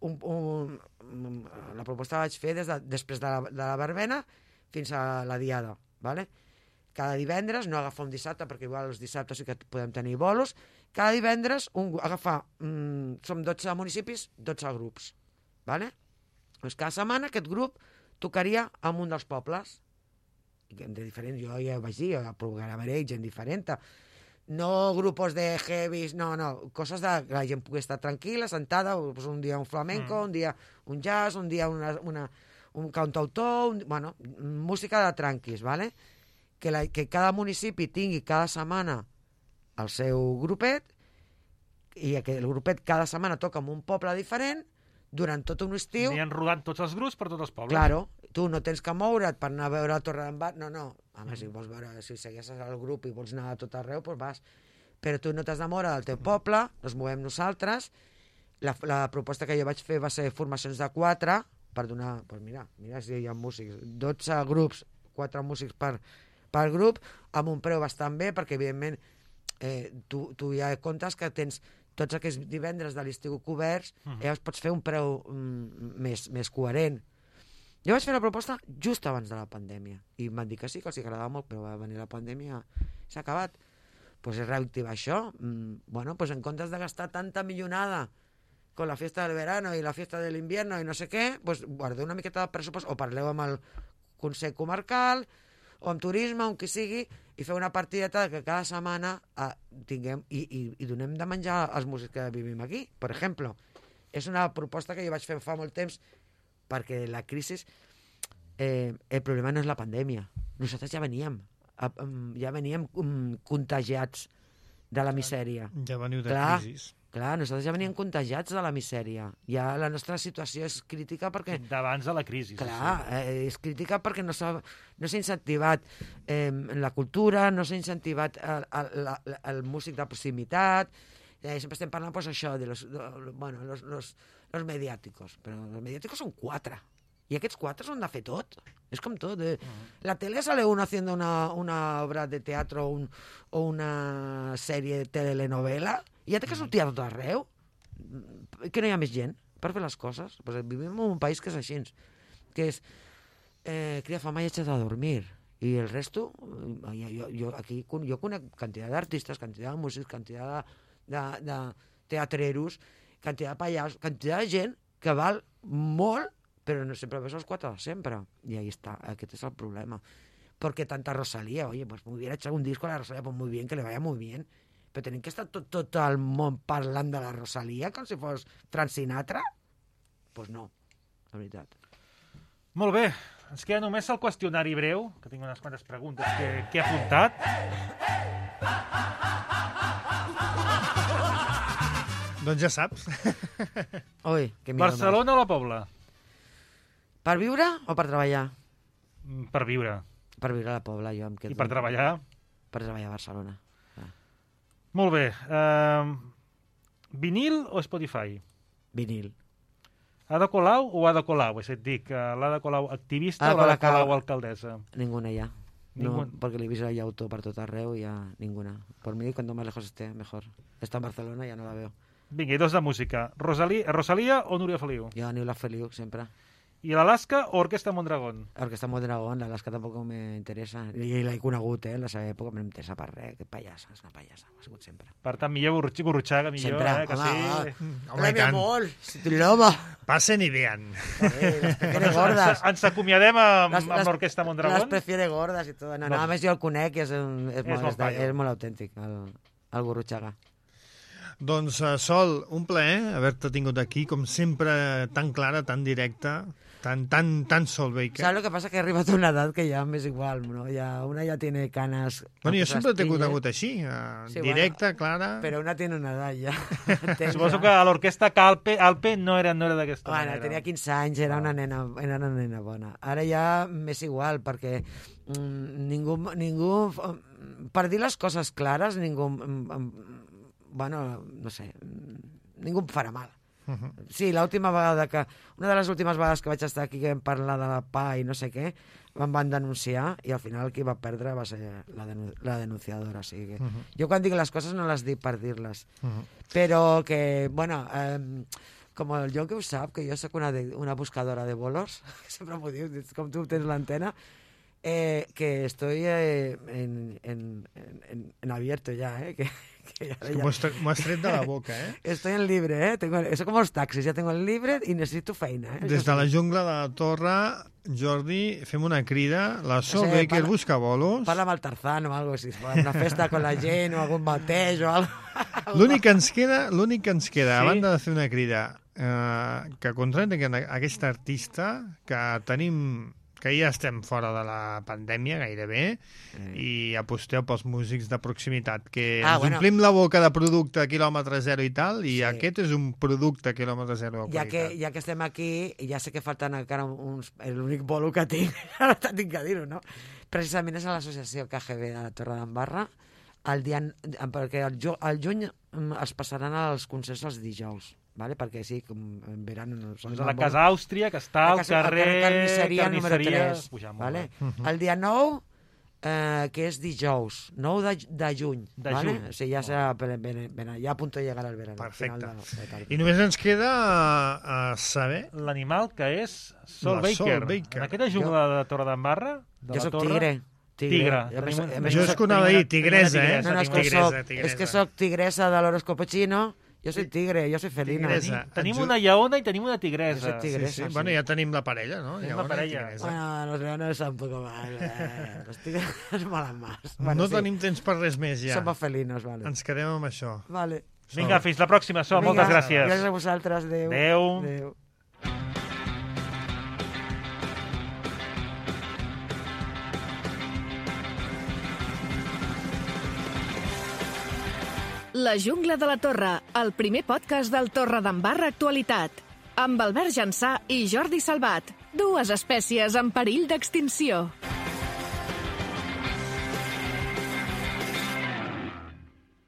La proposta la vaig fer després de la verbena fins a la diada, ¿vale? Cada divendres, no agafar un dissabte, perquè igual els dissabtes sí que podem tenir bolos, cada divendres agafar, som 12 municipis, 12 grups, ¿vale? Doncs cada setmana aquest grup tocaria en un dels pobles, de diferent, jo ja ho vaig dir, programaré gent diferent, no grupos de heavies, no, coses de que la gent pugui estar tranquil·la, sentada, pues un dia un flamenco, un dia un jazz, un dia un cantautor, bueno, música de tranquis, ¿vale? Que cada municipi tingui cada setmana el seu grupet i que el grupet cada setmana toca en un poble diferent durant tot un estiu. Aniran rodant tots els grups per tots els pobles. Claro, tu no tens que moure't per anar a veure a Torredembarra, no. Home, si vols veure, si segueixes el grup i vols anar a tot arreu, doncs vas. Però tu no t'has de moure del teu poble, ens movem nosaltres. La proposta que jo vaig fer va ser formacions de 4 per donar, doncs mira si hi ha músics, 12 grups, 4 músics per grup, amb un preu bastant bé, perquè evidentment tu ja comptes que tens tots aquests divendres de l'estiu coberts, llavors pots fer un preu més coherent. Jo vaig fer la proposta just abans de la pandèmia i em van dir que sí, que els agradava molt, però va venir la pandèmia i s'ha acabat. Pues és reactivar això. Bueno, pues en comptes de gastar tanta millonada con la fiesta del verano i la fiesta de l'invierno i no sé què, pues guardeu una miqueta de pressupost o parleu amb el Consell Comarcal o amb turisme, on qui sigui, i feu una partideta que cada setmana tinguem i donem de menjar als músics que vivim aquí, per exemple. És una proposta que jo vaig fer fa molt temps, perquè la crisi, el problema no és la pandèmia. Nosaltres ja veníem contagiats de la misèria. Ja veniu de crisis. Clar, nosaltres ja veníem contagiats de la misèria. Ja la nostra situació és crítica perquè... D'abans de la crisi. Clar, és crítica perquè no s'ha incentivat la cultura, no s'ha incentivat el músic de proximitat. Sempre estem parlant, pues, això, de los mediàticos. Però els mediàticos són 4. I aquests 4 s'han de fer tot. És com tot. La tele sale uno haciendo una obra de teatro o una sèrie de telenovela i ja té que sortir a tot arreu. Que no hi ha més gent per fer les coses. Pues vivim en un país que és així, que és cria fama i échate a dormir. I el resto, jo conec quantitat d'artistes, quantitat de músics, quantitat de teatreros, quantitat de pallassos, quantitat de gent que val molt, però no sempre ves els 4 de sempre. I ahí està, aquest és el problema. porque tanta Rosalía, oye, pues me hubiera hecho un disco a la Rosalía, pues muy bien, que le vaya muy bien. Però tenim que estar tot el món parlant de la Rosalía com si fos Frank Sinatra? Pues no, la veritat. Molt bé, ens queda només el qüestionari breu, que tinc unes quantes preguntes que he apuntat. Doncs ja saps. Ui, que Barcelona o la Pobla? Per viure o per treballar? Per viure. Per viure a la Pobla, jo em quedo. I per treballar? Per treballar a Barcelona. Molt bé. Vinil o Spotify? Vinil. Ada Colau o Ada Colau? És a dir, l'Ada Colau activista o l'Ada Colau alcaldesa? Ninguna ya. No, porque le he visto ya auto para todo arreo y ya ninguna. Por mí, cuanto más lejos esté, mejor. Está en Barcelona, ya no la veo. Vinga, i dos de música. Rosalía o Núria Feliu? Yo Núria Feliu, siempre. ¿Y l'Alaska o Orquesta Mondragón? Orquesta Mondragón, l'Alaska tampoc me interessa. I l'he conegut, la seva època, no m'interessa per res. Que pallassa, és una pallassa, m'ha sigut sempre. Per tant, millor Gurruchaga, millor, sempre. Que sí. Home, mi amor, si tu l'home. Passen i vean. Ens acomiadem amb l'Orquesta Mondragón? Les prefiere gordas i tot. No, a més jo el conec i és molt autèntic, el Gurruchaga. Doncs, Sol, un plaer haver-te tingut aquí, com sempre, tan clara, tan directa, tan Sol Baker. ¿Sabes lo que pasa? Que he arribat a una edad que ya me es igual, ¿no? Una ya tiene canas... Bueno, jo sempre t'he conegut així, directa, clara... Però una tiene una edat ja. Suposo que a l'orquestra Alpe no era d'aquesta manera. Bueno, tenia 15 anys, era una nena bona. Ara ja m'és igual, perquè ningú... Per dir les coses clares, ningú... Bueno, no sé, ningú em farà mal. Sí, l'última vegada una de les últimes vegades que vaig estar aquí que vam parlar de la PA i no sé què, em van denunciar i al final qui va perdre va ser la denunciadora. O sigui que jo quan dic les coses no les dic per dir-les. Però que, bueno, com el John que ho sap, que jo soc una buscadora de bolos, sempre m'ho diu, com tu tens l'antena, que estoy en abierto ya, M'ho has tret de la boca, Estoy en libre, Eso como los taxis, ya tengo el libre y necesito feina, Des de la jungla de la Torre, Jordi, fem una crida. La Sol Baker busca bolos. Parla amb el Tarzán o algo així, una festa con la gent o algun bateig o algo. L'únic que ens queda, a banda de fer una crida, que contracten aquesta artista, que tenim... que ja estem fora de la pandèmia gairebé i aposteu pels músics de proximitat, que ens omplim la boca de producte quilòmetre zero i tal, i aquest és un producte quilòmetre zero de qualitat. Ja que estem aquí, ja sé que falten encara l'únic bolo que tinc, ara tinc que dir-ho, no? Precisament és a l'associació KGB de la Torre d'Embarra, perquè al juny es passaran als concerts els dijous. Vale? Perquè sí, com en verano... A la Casa Àustria, que està al carrer Carnisseria número 3. Vale? El dia 9, que és dijous, 9 de juny. Vale? O sigui, ja serà ja a punt de llegar al verano. Perfecte. I només ens queda saber... L'animal que és Sol Baker. En aquesta jungla de Torre d'Embarra... Jo soc tigre. Tigre. Jo és que anava a dir tigresa, No, és que soc tigresa de l'horoscopo xino. Jo soy tigre, jo soy felina. Tenim una lleona i tenim una tigresa. Sí. Bueno, ja tenim la parella, no? Tenim la parella. Bueno, los leones son un poco mal. Los tigres molan más. No tenim temps per res més, ja. Somos felinos, vale. Ens quedem amb això. Vale. Vinga, fins la pròxima, Sol. Moltes gràcies. Gràcies a vosaltres. Adéu. Adéu. La jungla de la Torre, el primer podcast del Torre d'Embarra Actualitat. Amb Albert Jansà i Jordi Salvat, dues espècies en perill d'extinció.